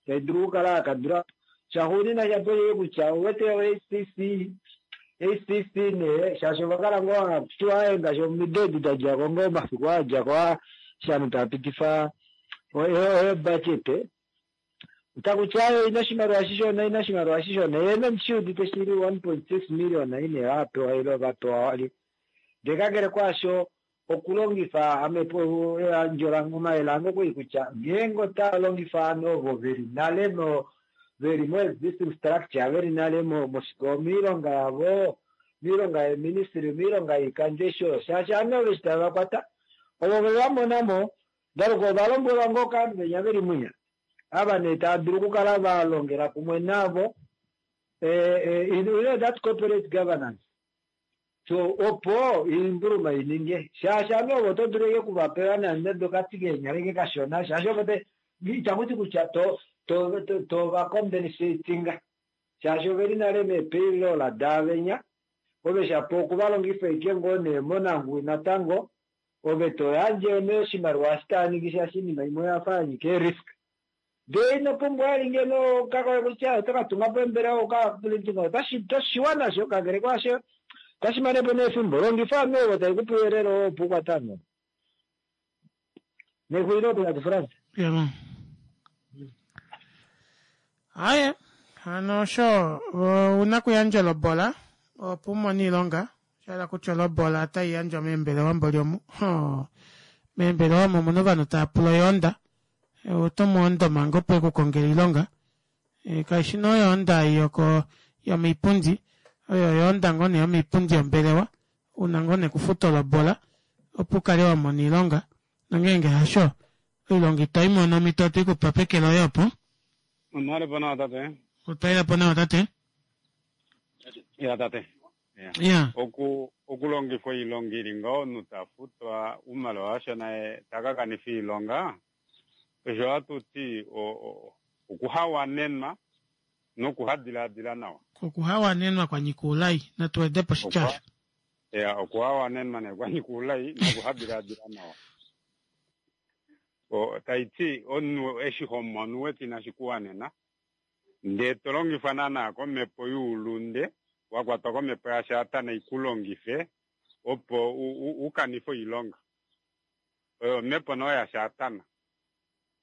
tai dulu okukala yakandula po. Shaxuunina shapo osheke kutya owete o-ACC ACC nee shaashi ovakala ngoo hatiwa aaye ngaashi omido edi dadjako ngoo omafiku aa adjako aa eshi ovanhu tava pitifa o-budget otakuti aaye oina oshimaliwa shishona oina oshimaliwa shishona yee ondi shiudite shili 1.6 million ine vapewa ile vapewa wali ndee kakele kwaasho okulongifa ame eyandjo lange omayele ange okwali kutya ngeenge otava longifa ovanhu ovo veli nale mo veli mo existing structure veli nale moilonga yavo moilonga yeministry moilonga yoikandjo eshi oyo shaashi ovanhu ovo eshi tave vakwata ovo vevamonamo ndaluka ovalombwelwa ngoo kovanhu venya veli mwinya ava nee tava dulu okukala valongela kumwe navo you know that corporate governance so opo oimbuluma ininge shaashi ame ovo oto dulu eke kuvapewa nande okati keenyala eke kashona shaashi ovo itakuti kutya to to to va compensatinga shaashi oveli nale meepayroll daavenya ove shapo okuvalongifa eke ngoo nee monanguwi natango ove toyandje nee oshimaliwa eshi taaningi shaashi oinima imwe oyafa yanyika eerisk ndee ino pumbwa vali ngeno kakoye kutya oto katunga po embelewa uka otashiwa nasho kakele kwaasho otashi mane po neefimbo longifa ovanhu ovo tai kupe ouyelele oo opo ukwate ovanhu nexulilo opo tate Frans. Aye hano osho ouna kuyandja olobola opo umone oilonga sha kutya olobola otai yandjwa meembelewa mboli omu meembelewa omo omuna ovanhu tava pula oyoonda oto mu ondo manga opo ekukongele oilonga kaishi nee oyoonda yoko yomoipundi oyo oyoonda ngoo nee yomoipundi yombelewa una ngoo nee kufuta olobola opo ukale wa mona oilonga nongeenge hasho oilonga ito i mono omhito oto i kupa peke loye opo. Onale po nawa tate. Otwa po nawa tate. Ya tate. Ya. Oku okulongifwa oilonga ili ngaho omunhu ta futwa oumaliwa washona ye ta ka kanifa oilonga osho hatu ti okuhawanenwa nokuhadilaadila nawa. Okuhawanenwa kwa nyika oulai natu wede po oshitya osho. Ya, okuhawanenwa nee kwa nyika oulai nokuhadilaadila nawa. Tai ti omunhu eshi ho mono u wete inashi ku wanena ndee to longifwa naana komhepo youlunde, wa kwatwa komhepo yaSatana i ku longife opo u kanife oilonga. Oyo omhepo noo yaSatana.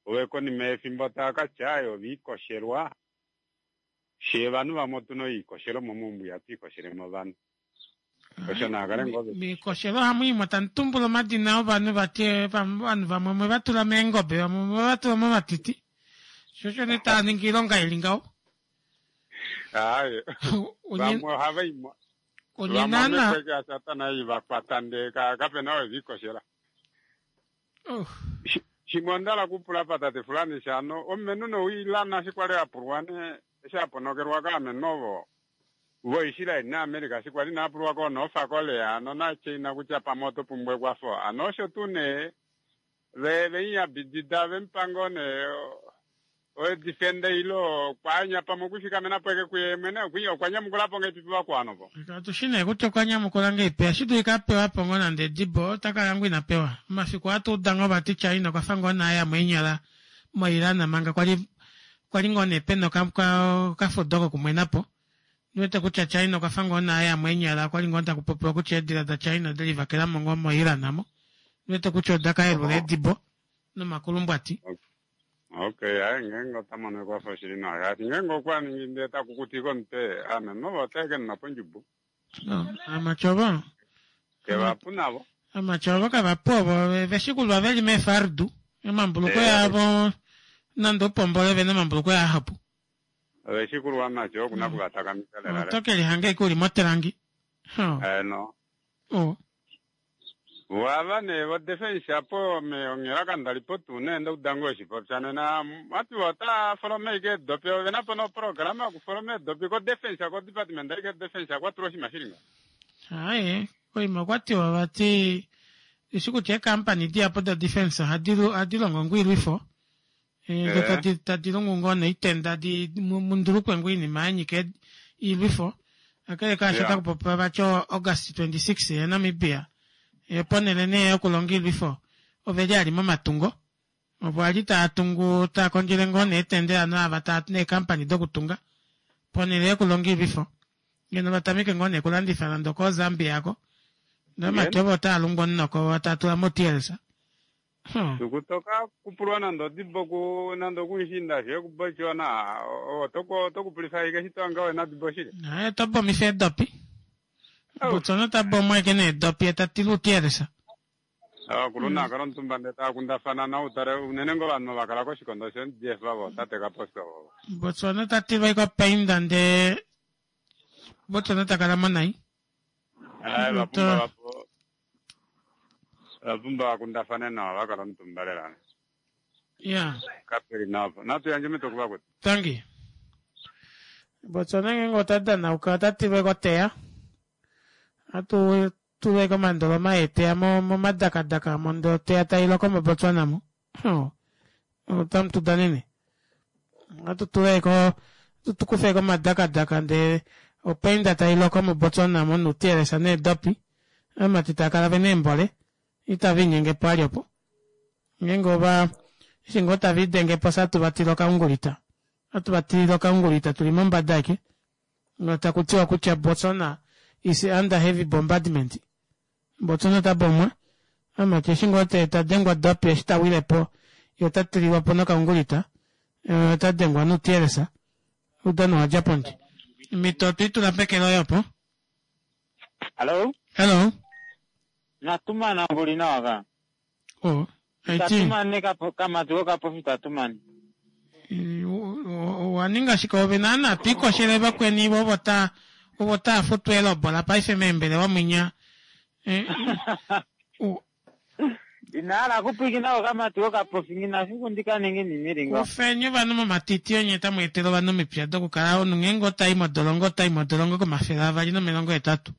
Ove konima yefimbo tava ka tya aye ove ikoshelwa, fyee ovanhu vamwe otu na oikoshelo momaumbo ihatu ikoshele movanhu. Osho naa kale ngoo ve. Miikoshelo ohamu yimwa tamu tumbula omadina ovanhu vati ovanhu vamwe omwe va tula meengobe vamwe omwe va tula momatiti sho osho nee tava ningi oilonga ili ngaho. Aaye vamwe ohava imwa Onye vamwe naana omhepo yaSatana ei va kwata ndee kape na oo e va ikoshela. Oh. Shimwe onda hala kupula pa tate Fulani shano omumenhu nowiilana eshi kwali a pulwa nee eshi a ponokelwa kaamenhu ovo voIsrael naAmerica eshi kwali inaa pulwa koo North Korea ano naChina kutya pamwe oto pumbwa ekwafo ano osho tuu nee ve vemuyambidida vemupa ngoo nee oedifenda ile okwaanya pamwe okwifikamena po eke kuye mwene okwa nyamukula po ngeipi povakwao ovo. Katu shi nee kutya okwa nyamukula ngeipi ohashi dulika a pewa po ngoo nande edibo ota kala ngoo ina pewa. Omafiku ohatu uda ngoo vati China okwa fa ngoo nee a ya moinyala moIran manga kwali kwali ngoo nee pena okafudo kokumwena po. Ondi wete kutya China okwa fa ngoo nee a ya moinyala okwali ngoo taku popiwa kutya eedila daChina ode livakela mo ngoo moIran mo. Ondi wete kutya oda ka yelula edibo nomakulumbwati. Okay, hayi ngeenge ota mono ekwafo shili nawa shaashi ngeenge okwa ningi ndee ta kukutika omutwe ame novo otae ke nuna pondjubo. No, amatya ovo. Kevapu navo. Amatya ovo kavapu ovo veshikulwa veli meefardu omambuluko yavo nande upombole vena omambuluko ahapu. Ove shikulwa mati okuna kuvatakamifa lela Oto ke lihanga ike uli motelangi. Oh. Eno. Oh. Vava nee vo defense apo me onghela kandali po tuu nee ndauda ngoo shipopya nena vati vo otava foloma ike eedopi ovena po noprograma yokufoloma eedopi ko defense ko department aike defense kwatulwa oshinima shili ngaho. Aaye, koima okwa tiwa vati eshi kutya eekampani dihapu do defense ohadi ohadi longo ngoo oilwifo Eh, do tadi tadi lungu ngoo noitenda di mu- mundulukwe ngoo oinima ya nyika ed- iilwifo kakele kaasho Yeah. otaku popiwa vati o August 26 yaNamibia eh, ponhele nee yokulonga iilwifo ove li ali momatungo opo ali taa tungu taa kondjele ngoo neetendela naava taa neekampani dokutunga ponhele yokulonga iilwifo ngeno va tameke ngoo nee kulandifa nande okooZambia ako nomati ovo otaa lungu omunoko taa tula moTLS Tuku toka kupulwa nande odibo ku nande okuishinda she kuBotswana oto kupulifa ashike eshi twanga wena odibo shili. Naye to bomifa eedopi. Botswana ta bomo eke needopi ye ta tila utiyelesa. Ovakulu naa kala omutumba ndee tava kundafana na utale unene ngoo ovanhu va kala koshikondo shoMDF vo tate Kapofi ovo. Botswana ta tilwa ike opainda ndee Botswana ta kala mo nai. Aye va pumbwa va va pumbwa va kundafane nawa va kala omutumba lela. Ya. Kapeli nawa po. Natu yandje omhito kuvakwetu. Tangi. Botswana ngeenge ota danauka ota tilwa ike oteya. Atu tulwa ike omandoloma eeteya mo momadakadaka mo ndee oteya tai loko moBotswana mo. Otamu tu danene. Ohatu tula ike tu kufe ike omadakadaka ndee opainda tai loko moBotswana mo nuutiyelesa needopi. Ovamati tava kala vena eembole itava inyenge po vali opo. Ngeenge ova eshi ngoo tava idenge po fye atu va tila okaungulita. Ohatu va tilile okaungulita tuli mombada aike. Taku tiwa kutya Botswana is under heavy bombardment. Botswana ota bomwa. Amati eshi ngoo ta dengwa dopi eshi ta wile po ye ota tililwa po nokaungulita. Ota dengwa nuutiyelesa. Oudano owa dja pondje. Omhito otwe i tula peke loye opo. Hello? Hello? Natumana nguli nawa ka. Oh, aiti. Tatumane kamati kokapofi tatumane. Owa ninga shike ove naana twikoshele vakweni ovo ta ovo taa futwa elobola paife meembelewa mwinya. Eh, Ina hala kupwikina kokamati kokapofi ngina fiku ndikaninge nimilingo. Kufeni ovanhu momatiti onye tamu etele ovanhu omipya dokukala omunhu ngeenge otai modolongo otai modolongo komafele avali nomilongo hetatu.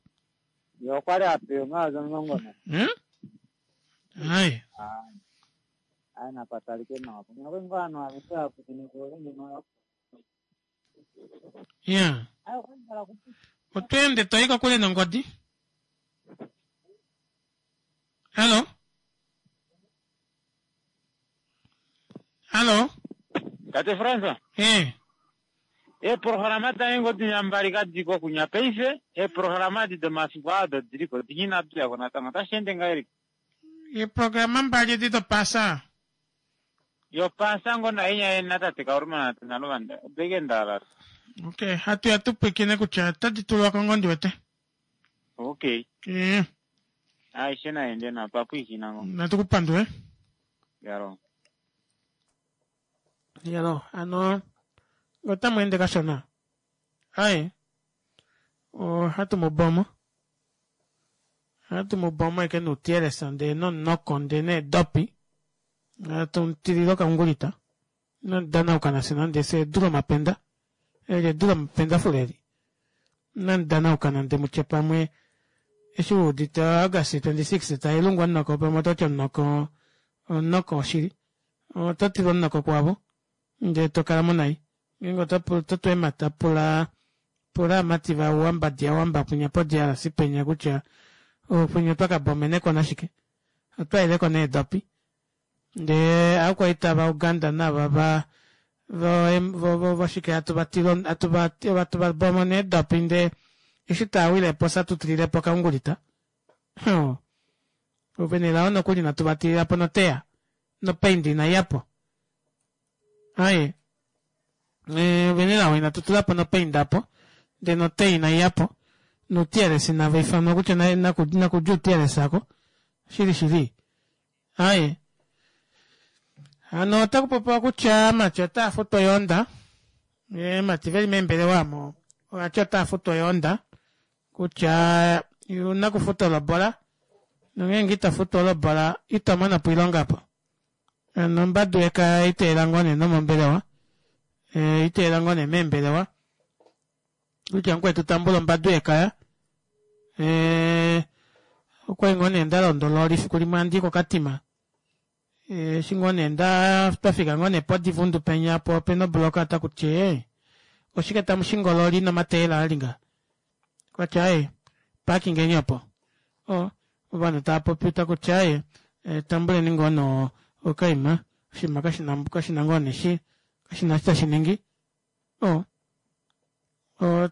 Ye okwa li a pewa omayovi omulongo na. Hmm? Ai. Ai napatalike nawa. Kunya ngoo ovanhu aveshe va pwikine kuove ngeno. Ya. Ai okwa li hala kupwikina. Oto ende to i kokule nongodi. Hallo? Hallo? Tate Fransa. Eh. Eeprograma dange ngoo dinya mbali kadiko kunya paife, eeprograma edi domafiku aa odo diliko dinya inadi uyako natango. Otashi ende ngahelipi? Eeprograma mbali edi dopaasa. Yopaasa ngoo nainya natate Kauluma natate Naluvanda odo ike nda hala. Okay, hatu ya tu pwiikine kutya otadi tulwa ko ngoo ndi wete. Okay. Eh. Aishe naende nawa, twa pwiikina ngoo. Natu ku pandule. Yalo. Yalo, ano otamu ende kashona. Aye. Ohatu mu bomo. Ohatu mu bomo eke nuutiyelesa ndee nomunoko ndee needopi. Hatu mu tilile okaungulita. Inamu danauka nafye nande fye edu lomapenda. Eli edu lomapendafule eli. Inamu danauka nande mutye pamwe eshi u udite August 26 tai lungwa omunoko pamwe oto ti omunoko omunoko woshili. Oto tilwa omunoko kwavo ndee to kala mo nai. Ngeenge oto oto tu eemhata pula pula aamati va Uwambadi yaUwamba kwinya poDRC penya kutya kwinya otwa ka bomeneko nashike. Otwa ileko needopi. Ndee aakwaita vaUganda nava va vo vo voshike hatu va tila hatu va hatu va bomo needopi ndee eshi taa wile po fye atu tilile po okaungulita. Hoo. Ove nelao nokuli inatu va tilila po noteya. Nopaindi inai ya po. Aye. Ove nelao inatu tula po nopainda po. Ndee noteya inai ya po. Noutiyelesi nava ifanwa kutya nakudja uutiyelesi ako. Shili shili. Aye. Hano otaku popiwa kutya aamati otaa futwa oyoonda. Eemati veli meembelewa omo ovati otava futu oyoonda kutya una kufuta olobola nongeenge ito futu olobola ito mono po oilonga apo. Hano ombadu yekaya iteela ngoo nee nomombelewa iteela ngoo nee meembelewa kutya mukwetu tambula ombadu yekaya okwali ngoo nee ndalonda ololi fiku limwe handii kokatima eshi ngoo nee nda twafika ngoo nee podivundu penya po opena obloka takuti ee oshike tamu shingi ololi nomateyela ali nga kwati aaye parkingeni opo o ovanhu tava popi takuti aaye tambuleni ngoo no okaima oshinima kashina kashina ngoo nee shi kashina eshi tashi ningi o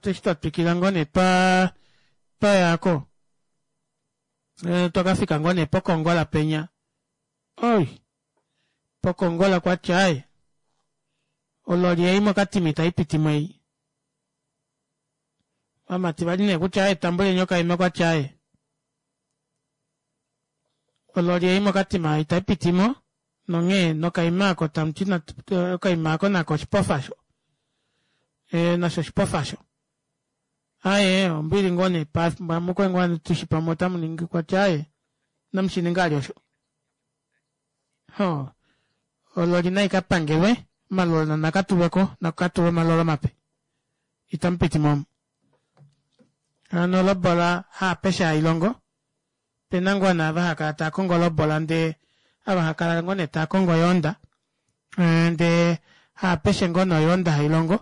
eshi twatwikila ngoo nee twa twayako twakafika ngoo nee pokongola penya Oi! Pokongola kwati aaye, ololi ei mokatima itai piti mo ei. Ovamati vali nee kutya aaye tambuleni okaima kwati aaye, ololi ei mokatima itai piti mo nonghee nokaima ako tamuti okaima ako nako oshipofa osho. E, nasho oshipofa osho. Aaye, ombili ngoo nee pamwe ngoo tushi pamwe otamu ningi kwati aaye, inamu shi ninga ali osho. Ho, ololi nai ka pangelwe, omalola naka tulwe ko, naka tulwe omalola mape. Itamu piti mo omu. Hano olobola haapeshe hai longo. Pena ngoo naava hava kala taa kongo olobola ndee ava hava kala ngoo nee taa kongo oyoonda ndee haapeshe ngoo nee oyoonda hai longo.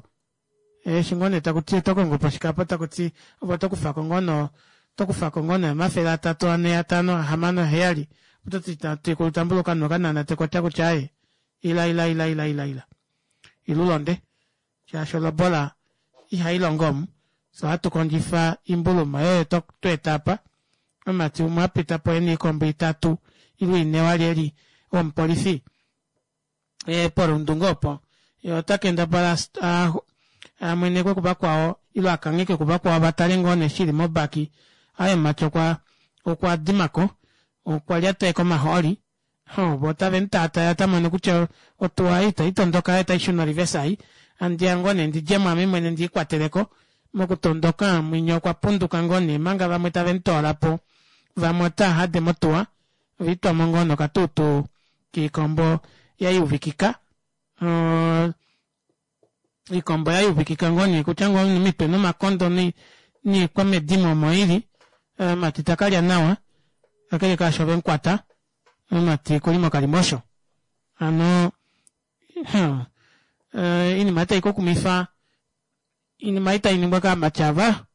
Eshi ngoo nee taku ti oto kongo po shikapo taku ti ove oto kufa ko ngoo no oto kufa ko ngoo nee 300, 4, 5, 6, 7 oto ti tatekulu tambula okanhu okananate kotya kutya aaye ila ila ila ila ila ila ila ulonde shaashi olobola ihai longo omu fye ohatu kondjifa imbuluma yoye to eta apa omumati umwe a pita po ena oikombo itatu ile ine wali eli womupolifi e polundu ngoo opo ye ota kendabala a mwenekwe kuvakwao ile a kanghekwe kuvakwao va tale ngoo nee shili mobaki aye omumati okwa okwa dimako okwa lyateka omahooli ho vo otave mu taataya ota mono kutya otuwa ei itai tondoka yo otai shuna orivesa ei andiya ngoo nee ndi djemo ame mwene ndi ikwateleko mokutondoka mwinya okwa punduka ngoo nee manga vamwe tave mu toola po vamwe otaa hade motuwa Oitwamo ngoo nokatuutu kiikombo ya yuvikika. Iikombo ya yuvikika ngoo nee kutya ngoo omitwe nomakondo niikwamedimo omo ili. Mati ta kalya nawa kakele kaasho ve mu kwata mati okuli mokalimosho. Hano iinima itayi ku kumitha iinima itayi ningwa kaamati ava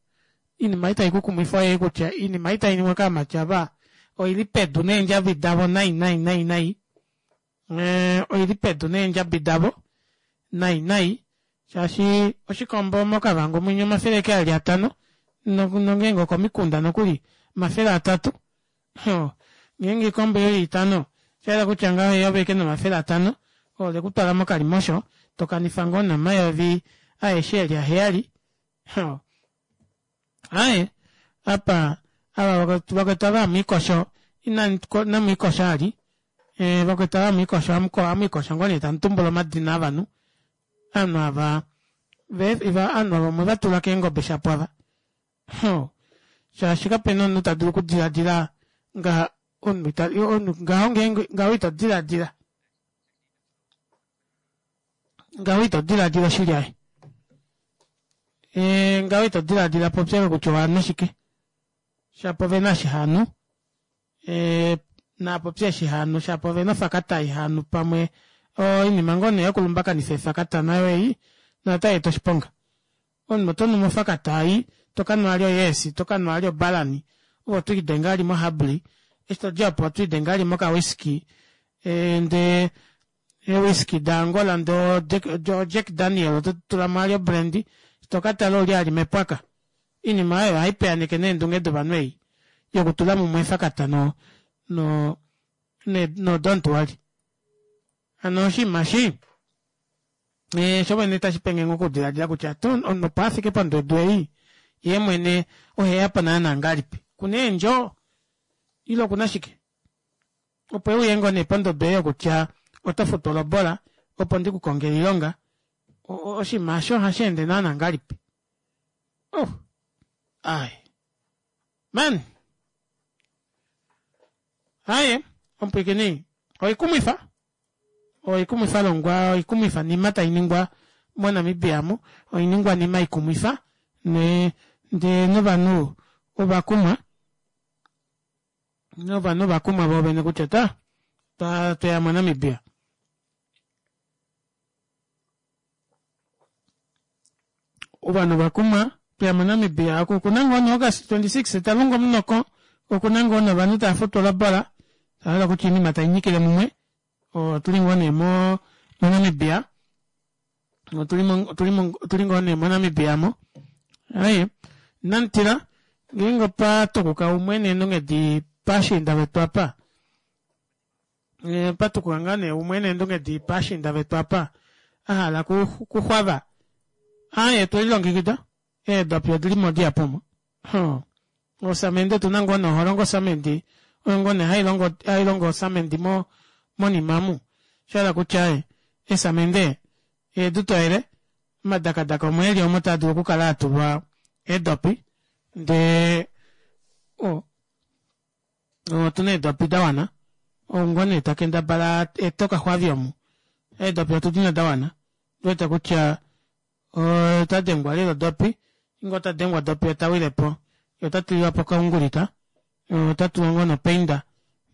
iinima itayi ku kumwifa oyeyi kutya iinima itayi ningwa kaamati ava oili pedu neendjabi davo nai nai nai nai eh, oili pedu neendjabi davo nai nai shaashi oshikombo mokavango mwinya omafele eke ali atano nongeenge okomikunda nokuli 300 ngeenge oikombo yoye itano osha yela kutya ngaho eyovi eke nomafele atano ole ku twala mokalimosho to kanifa ngoo nomayovi aeshe eli aheyali Aye, apa ava vakwetu ava hamwiikosho inamwiikosha ali eh, vakwetu ava hamwiikosho hamwiikosho ngoo nee tamu tumbula omadina avanhu ovanhu ava ovanhu ava omwe va tula keengobe shapo ava shaashi kapena omunhu ta dulu okudiladila ngaha omunhu ngaho ngeenge ngaho ito diladila ngaho ito diladila oshili aye e, ngaho ito diladila popya kutya owanhu shike shapo ve na shihanu e, naapopye shihanu shapo ve na ofakata ihanu pamwe oinima ngoo nee yokulumbakanifa efakata nayo ei notai eta oshiponga omunhu oto nu mofakata ei to ka nwa ali oyeesi to ka nwa ali obalani ove oto lidenga ali mohabli eshi to dja opo oto lidenga ali mokawiski e, ndee eewiski daAngola ndee oJack Daniel oto tula mo ali obrandy to ka tala ouli ali mepwaka Iinima oyo ohayi piyaaneke neendunge dovanhu ei yokutula mumwe efakata no no no don't worry. Hano oshinima eshi eh, sho mwene tashi penge ngoo okudiladila kutya to omunhu opo a fike pondodo ei ye mwene oheya po naanaa ngahelipi? Kuna eendjo ile okuna shike? Opo e uye ngoo nee pondodo ei yokutya oto futwa olobola opo ndi ku kongele oilonga. Oshinima osho ohashi ende naana ngalipi? Oh, ai. Man. Aye, omupwiikini, oikumwifa. Oikumwifa longwa, oikumwifa nima tai ningwa moNamibia mu, oiningwanima ikumwifa, ne, ndee novanhu ova kumwa. Novanhu ova kumwa voovene kutya ta, ta, tweya moNamibia. Ovanhu ova kumwa tweya moNamibia oku okuna ngoo ne August 26 ta lunga omunoko okuna ngoo ne ovanhu tava futwa olobola tahala kutya oinima tai nyikile mumwe otuli ngoo nee mo moNamibia otuli mo otuli mo otuli ngoo nee moNamibia mo aye namutila ngeenge opa tukuka umwe neendunge pashiinda vetu apa Eh, patukuka ngaa nee umwe neendunge dii paashiinda vetu apa a hala kuxwava aye twe lilongekida eedopi odi li mo dihapu omo osamende otu na ngoo noholongo osamende oyo ngoo nee hailongo hailongo osamende mo monima mu sha hala kutya e esamende eedu toyele omadakadaka omo eli omo taa dulu okukala a tulwa eedopi ndee o Otu na eedopi da wana. Ou ngoo nee ta kendabala ete okaxwavi omu. Eedopi otu di na da wana. Otu wete kutya ota dengwa lela odopi. Ngeenge ota dengwa odopi ota wile po. Ye ota tulilwa po okaungulita. Ota tulwa ngoo nopeinda.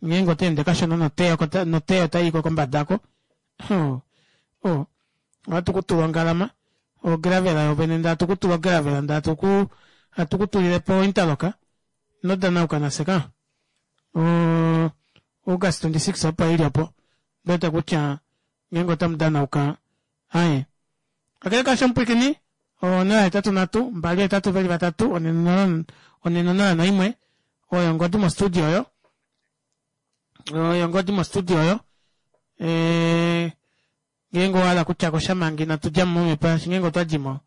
Ngeenge ota ende kashona noteya noteya otai ko kombada oko. Ohatu ku tula ongalama, ogravela yovene ndee hatu ku tula ogravela ndee hatu ku hatu ku tulile po ointerlock. Ino danauka nafye ka. O August 26 opo ili opo. Ndwete kutya ngeenge otamu danauka aye. Kakele kaasho omupwilikini, 083 2 8 2 3 4 0 1 oyo ongodi mostudio oyo. Oyo ongodi mostudio oyo. Eh Ngeenge owa hala okutya ko sha manga inatu dja mo momhepo shaashi ngeenge otwa di mo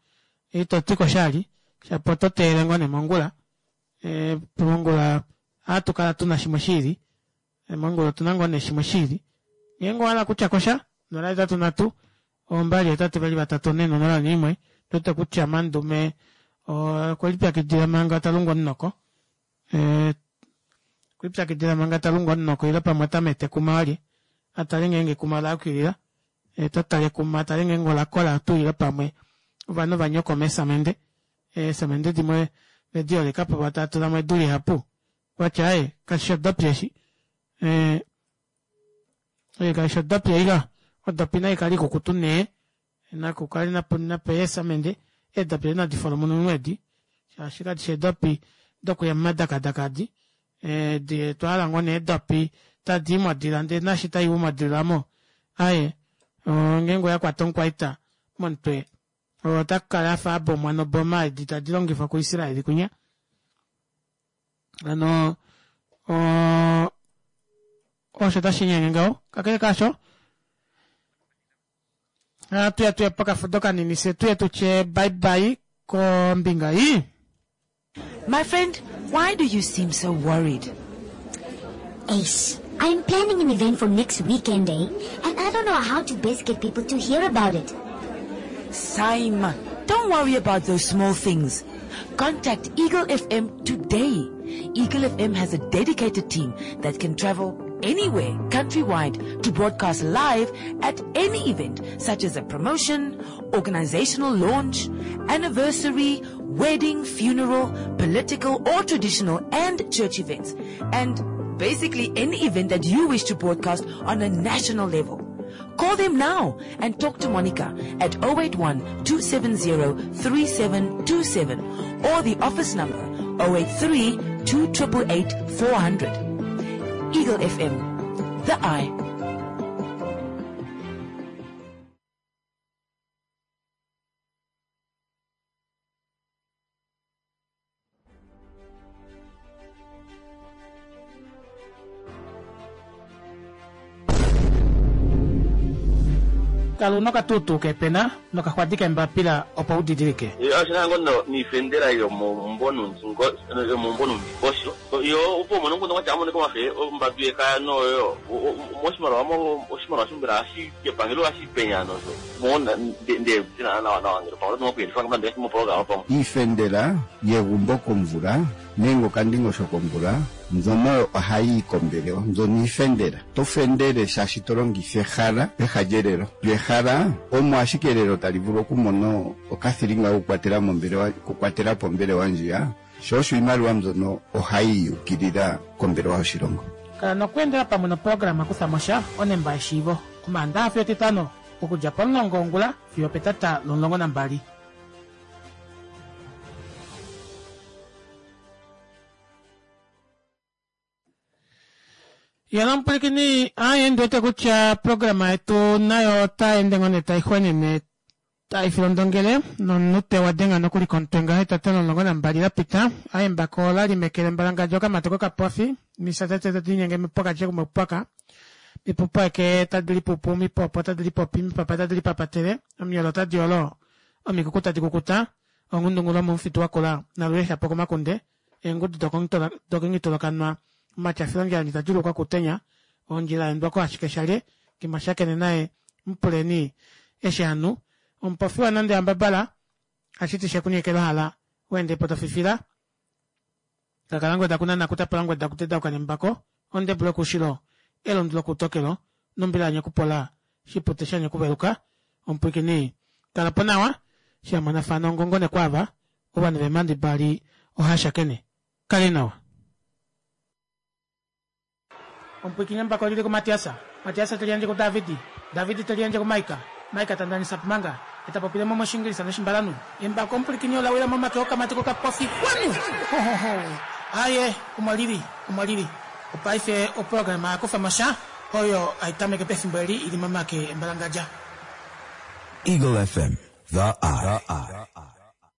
ito ti ko shali shapo oto teelele ngoo nee mongula. E, mongula ohatu kala tu na shimwe shiili. E, mongula otu na ngoo nee shimwe shiili. Ngeenge owa hala okutya ko sha, 083 2 8 2 4 0 1 Ndwete kutya Mandume okwe lipyakidila manga ta lungu omunoko. E, okwe lipyakidila manga ta lungu omunoko ile pamwe ota mete ekuma walye. A tale ngeenge ekuma ola yukilila. E, ta tale ekuma, a tale ngeenge ola kola tuu ile pamwe ovanhu va nyokoma eesamende. Eesamende dimwe ve di holeka po va tava tula mo edu lihapu. Watya aye, kashi shi odopi eshi. E, e, kashi shi odopi ei ka. Odopi nai kale ikukutu nee. Naku kale napu nape eesamende, eedopi edi nadi folomununwe edi, shaashi kadi shi eedopi dokuya momadakadaka adi. Edi otwa hala ngoo nee eedopi tadi i modila ndee nashi tai u modila mo, aye, ngeenge oya kwata omukwaita momutwe, ota kala afa a bomwa noboma edi tadi longifwa kuIsraeli kwinya. Hano, osho tashi nyenge ngaho. Kakele kaasho, Ohatu ya tuye pokafudo kanini fye tuye tutye bye bye kombinga ei. My friend, why do you seem so worried? Ace, I'm planning an event for next weekend, eh? And I don't know how to best get people to hear about it. Simon, don't worry about those small things. Contact Eagle FM today. Eagle FM has a dedicated team that can travel anywhere countrywide to broadcast live at any event such as a promotion, organizational launch, anniversary, wedding, funeral, political or traditional and church events. And basically any event that you wish to broadcast on a national level. Call them now and talk to Monica at 081 270 3727 or the office number 083 2888 400. Eagle FM, the eye. Kala una okatuutuu keepena nokaxwadi keembapila opo u didilike. Oshina ngo no niifendela yomomumbo nuundingo yomomumbo nuundingosho yo opo umone omukundu ngwatya amone komafe ombadu yekaya noyo moshimaliwa mo oshimaliwa sho mbela hashi kepangelo hashi penya nosho mo nde tina nawa nawa ngele pamwe oto kuyelifa ngamba ndele moprograma pamwe. Iifendela yegumbo komvula nenge okandingosho komvula mbyono ohayi yi kombelewa mbyono iifendela. To fendele shaashi to longitha ehala peha lyelelo. Lyo ehala omo ashike elelo tali vulu okumona okathilinga kokukwatela mombelewa okukwatela po ombelewa ndjiya, sho osho iimaliwa mbyono ohayi yi ukilila kombelewa yoshilongo. Kala nokweendela pamwe noprograma Kutha mo sha, onemba yeshiivo, Omaandaxa fiyo Etitano, okudja pomulongo wongula fiyo opetata lomulongo nambali. Yena omupwilikini aye ndi wete kutya programa yetu nayo otayi ende ngoo nee tai xwenene tai filondongele nomunute wa denga nokuli komutwe ngaho etata lomulongo nambali la pita aye embako ola li meke lembalangadja okamati kokapofi misa tete tadi linyenge pokati kumwe pwaka mipupo eke tadi lipupu mipopo tadi lipopi mipapa tadi lipapatele omiyolo tadi olo omikuku tadi kukuta onghundungu lomomufitu wakula naluyeha po komakunde eengudu dokongitolokanwa omatyafilondjila ta djulukwa kutenya ondjila endwa ko ashike shalye kimashakene naye mupuleni eshi hanu omupofi wa nande ambabala hashiti shekunyekela hala weende po tofifila kakalangweda kunana kutapalangweda kutedauka nembako ondebule kushilo elundu lokutokelo nombila yanyakupola shipute shanyekuveluka omupwikini kala po nawa shamonafana ongongo nekwava ovanhu veemhandi mbali oha shakene. Kale nawa. Omupwiikini embako lili kuMatias. Matias te liyandje kuDavid. David te liyandje kuMaika. Maika ta ndanisa Pumanga. E ta popile mo mOshiingilisa nOshimbalanhu. Embako omupwilikini ola wila momake okamati kokapofi. Kwanu! Ho, ho, ho! Aye, omo li li. Omo li li. Opaife oprograma ya kufa mo sha, oyo hai tameke pefimbo eli i li momake embalangadja. Eagle FM, the eye.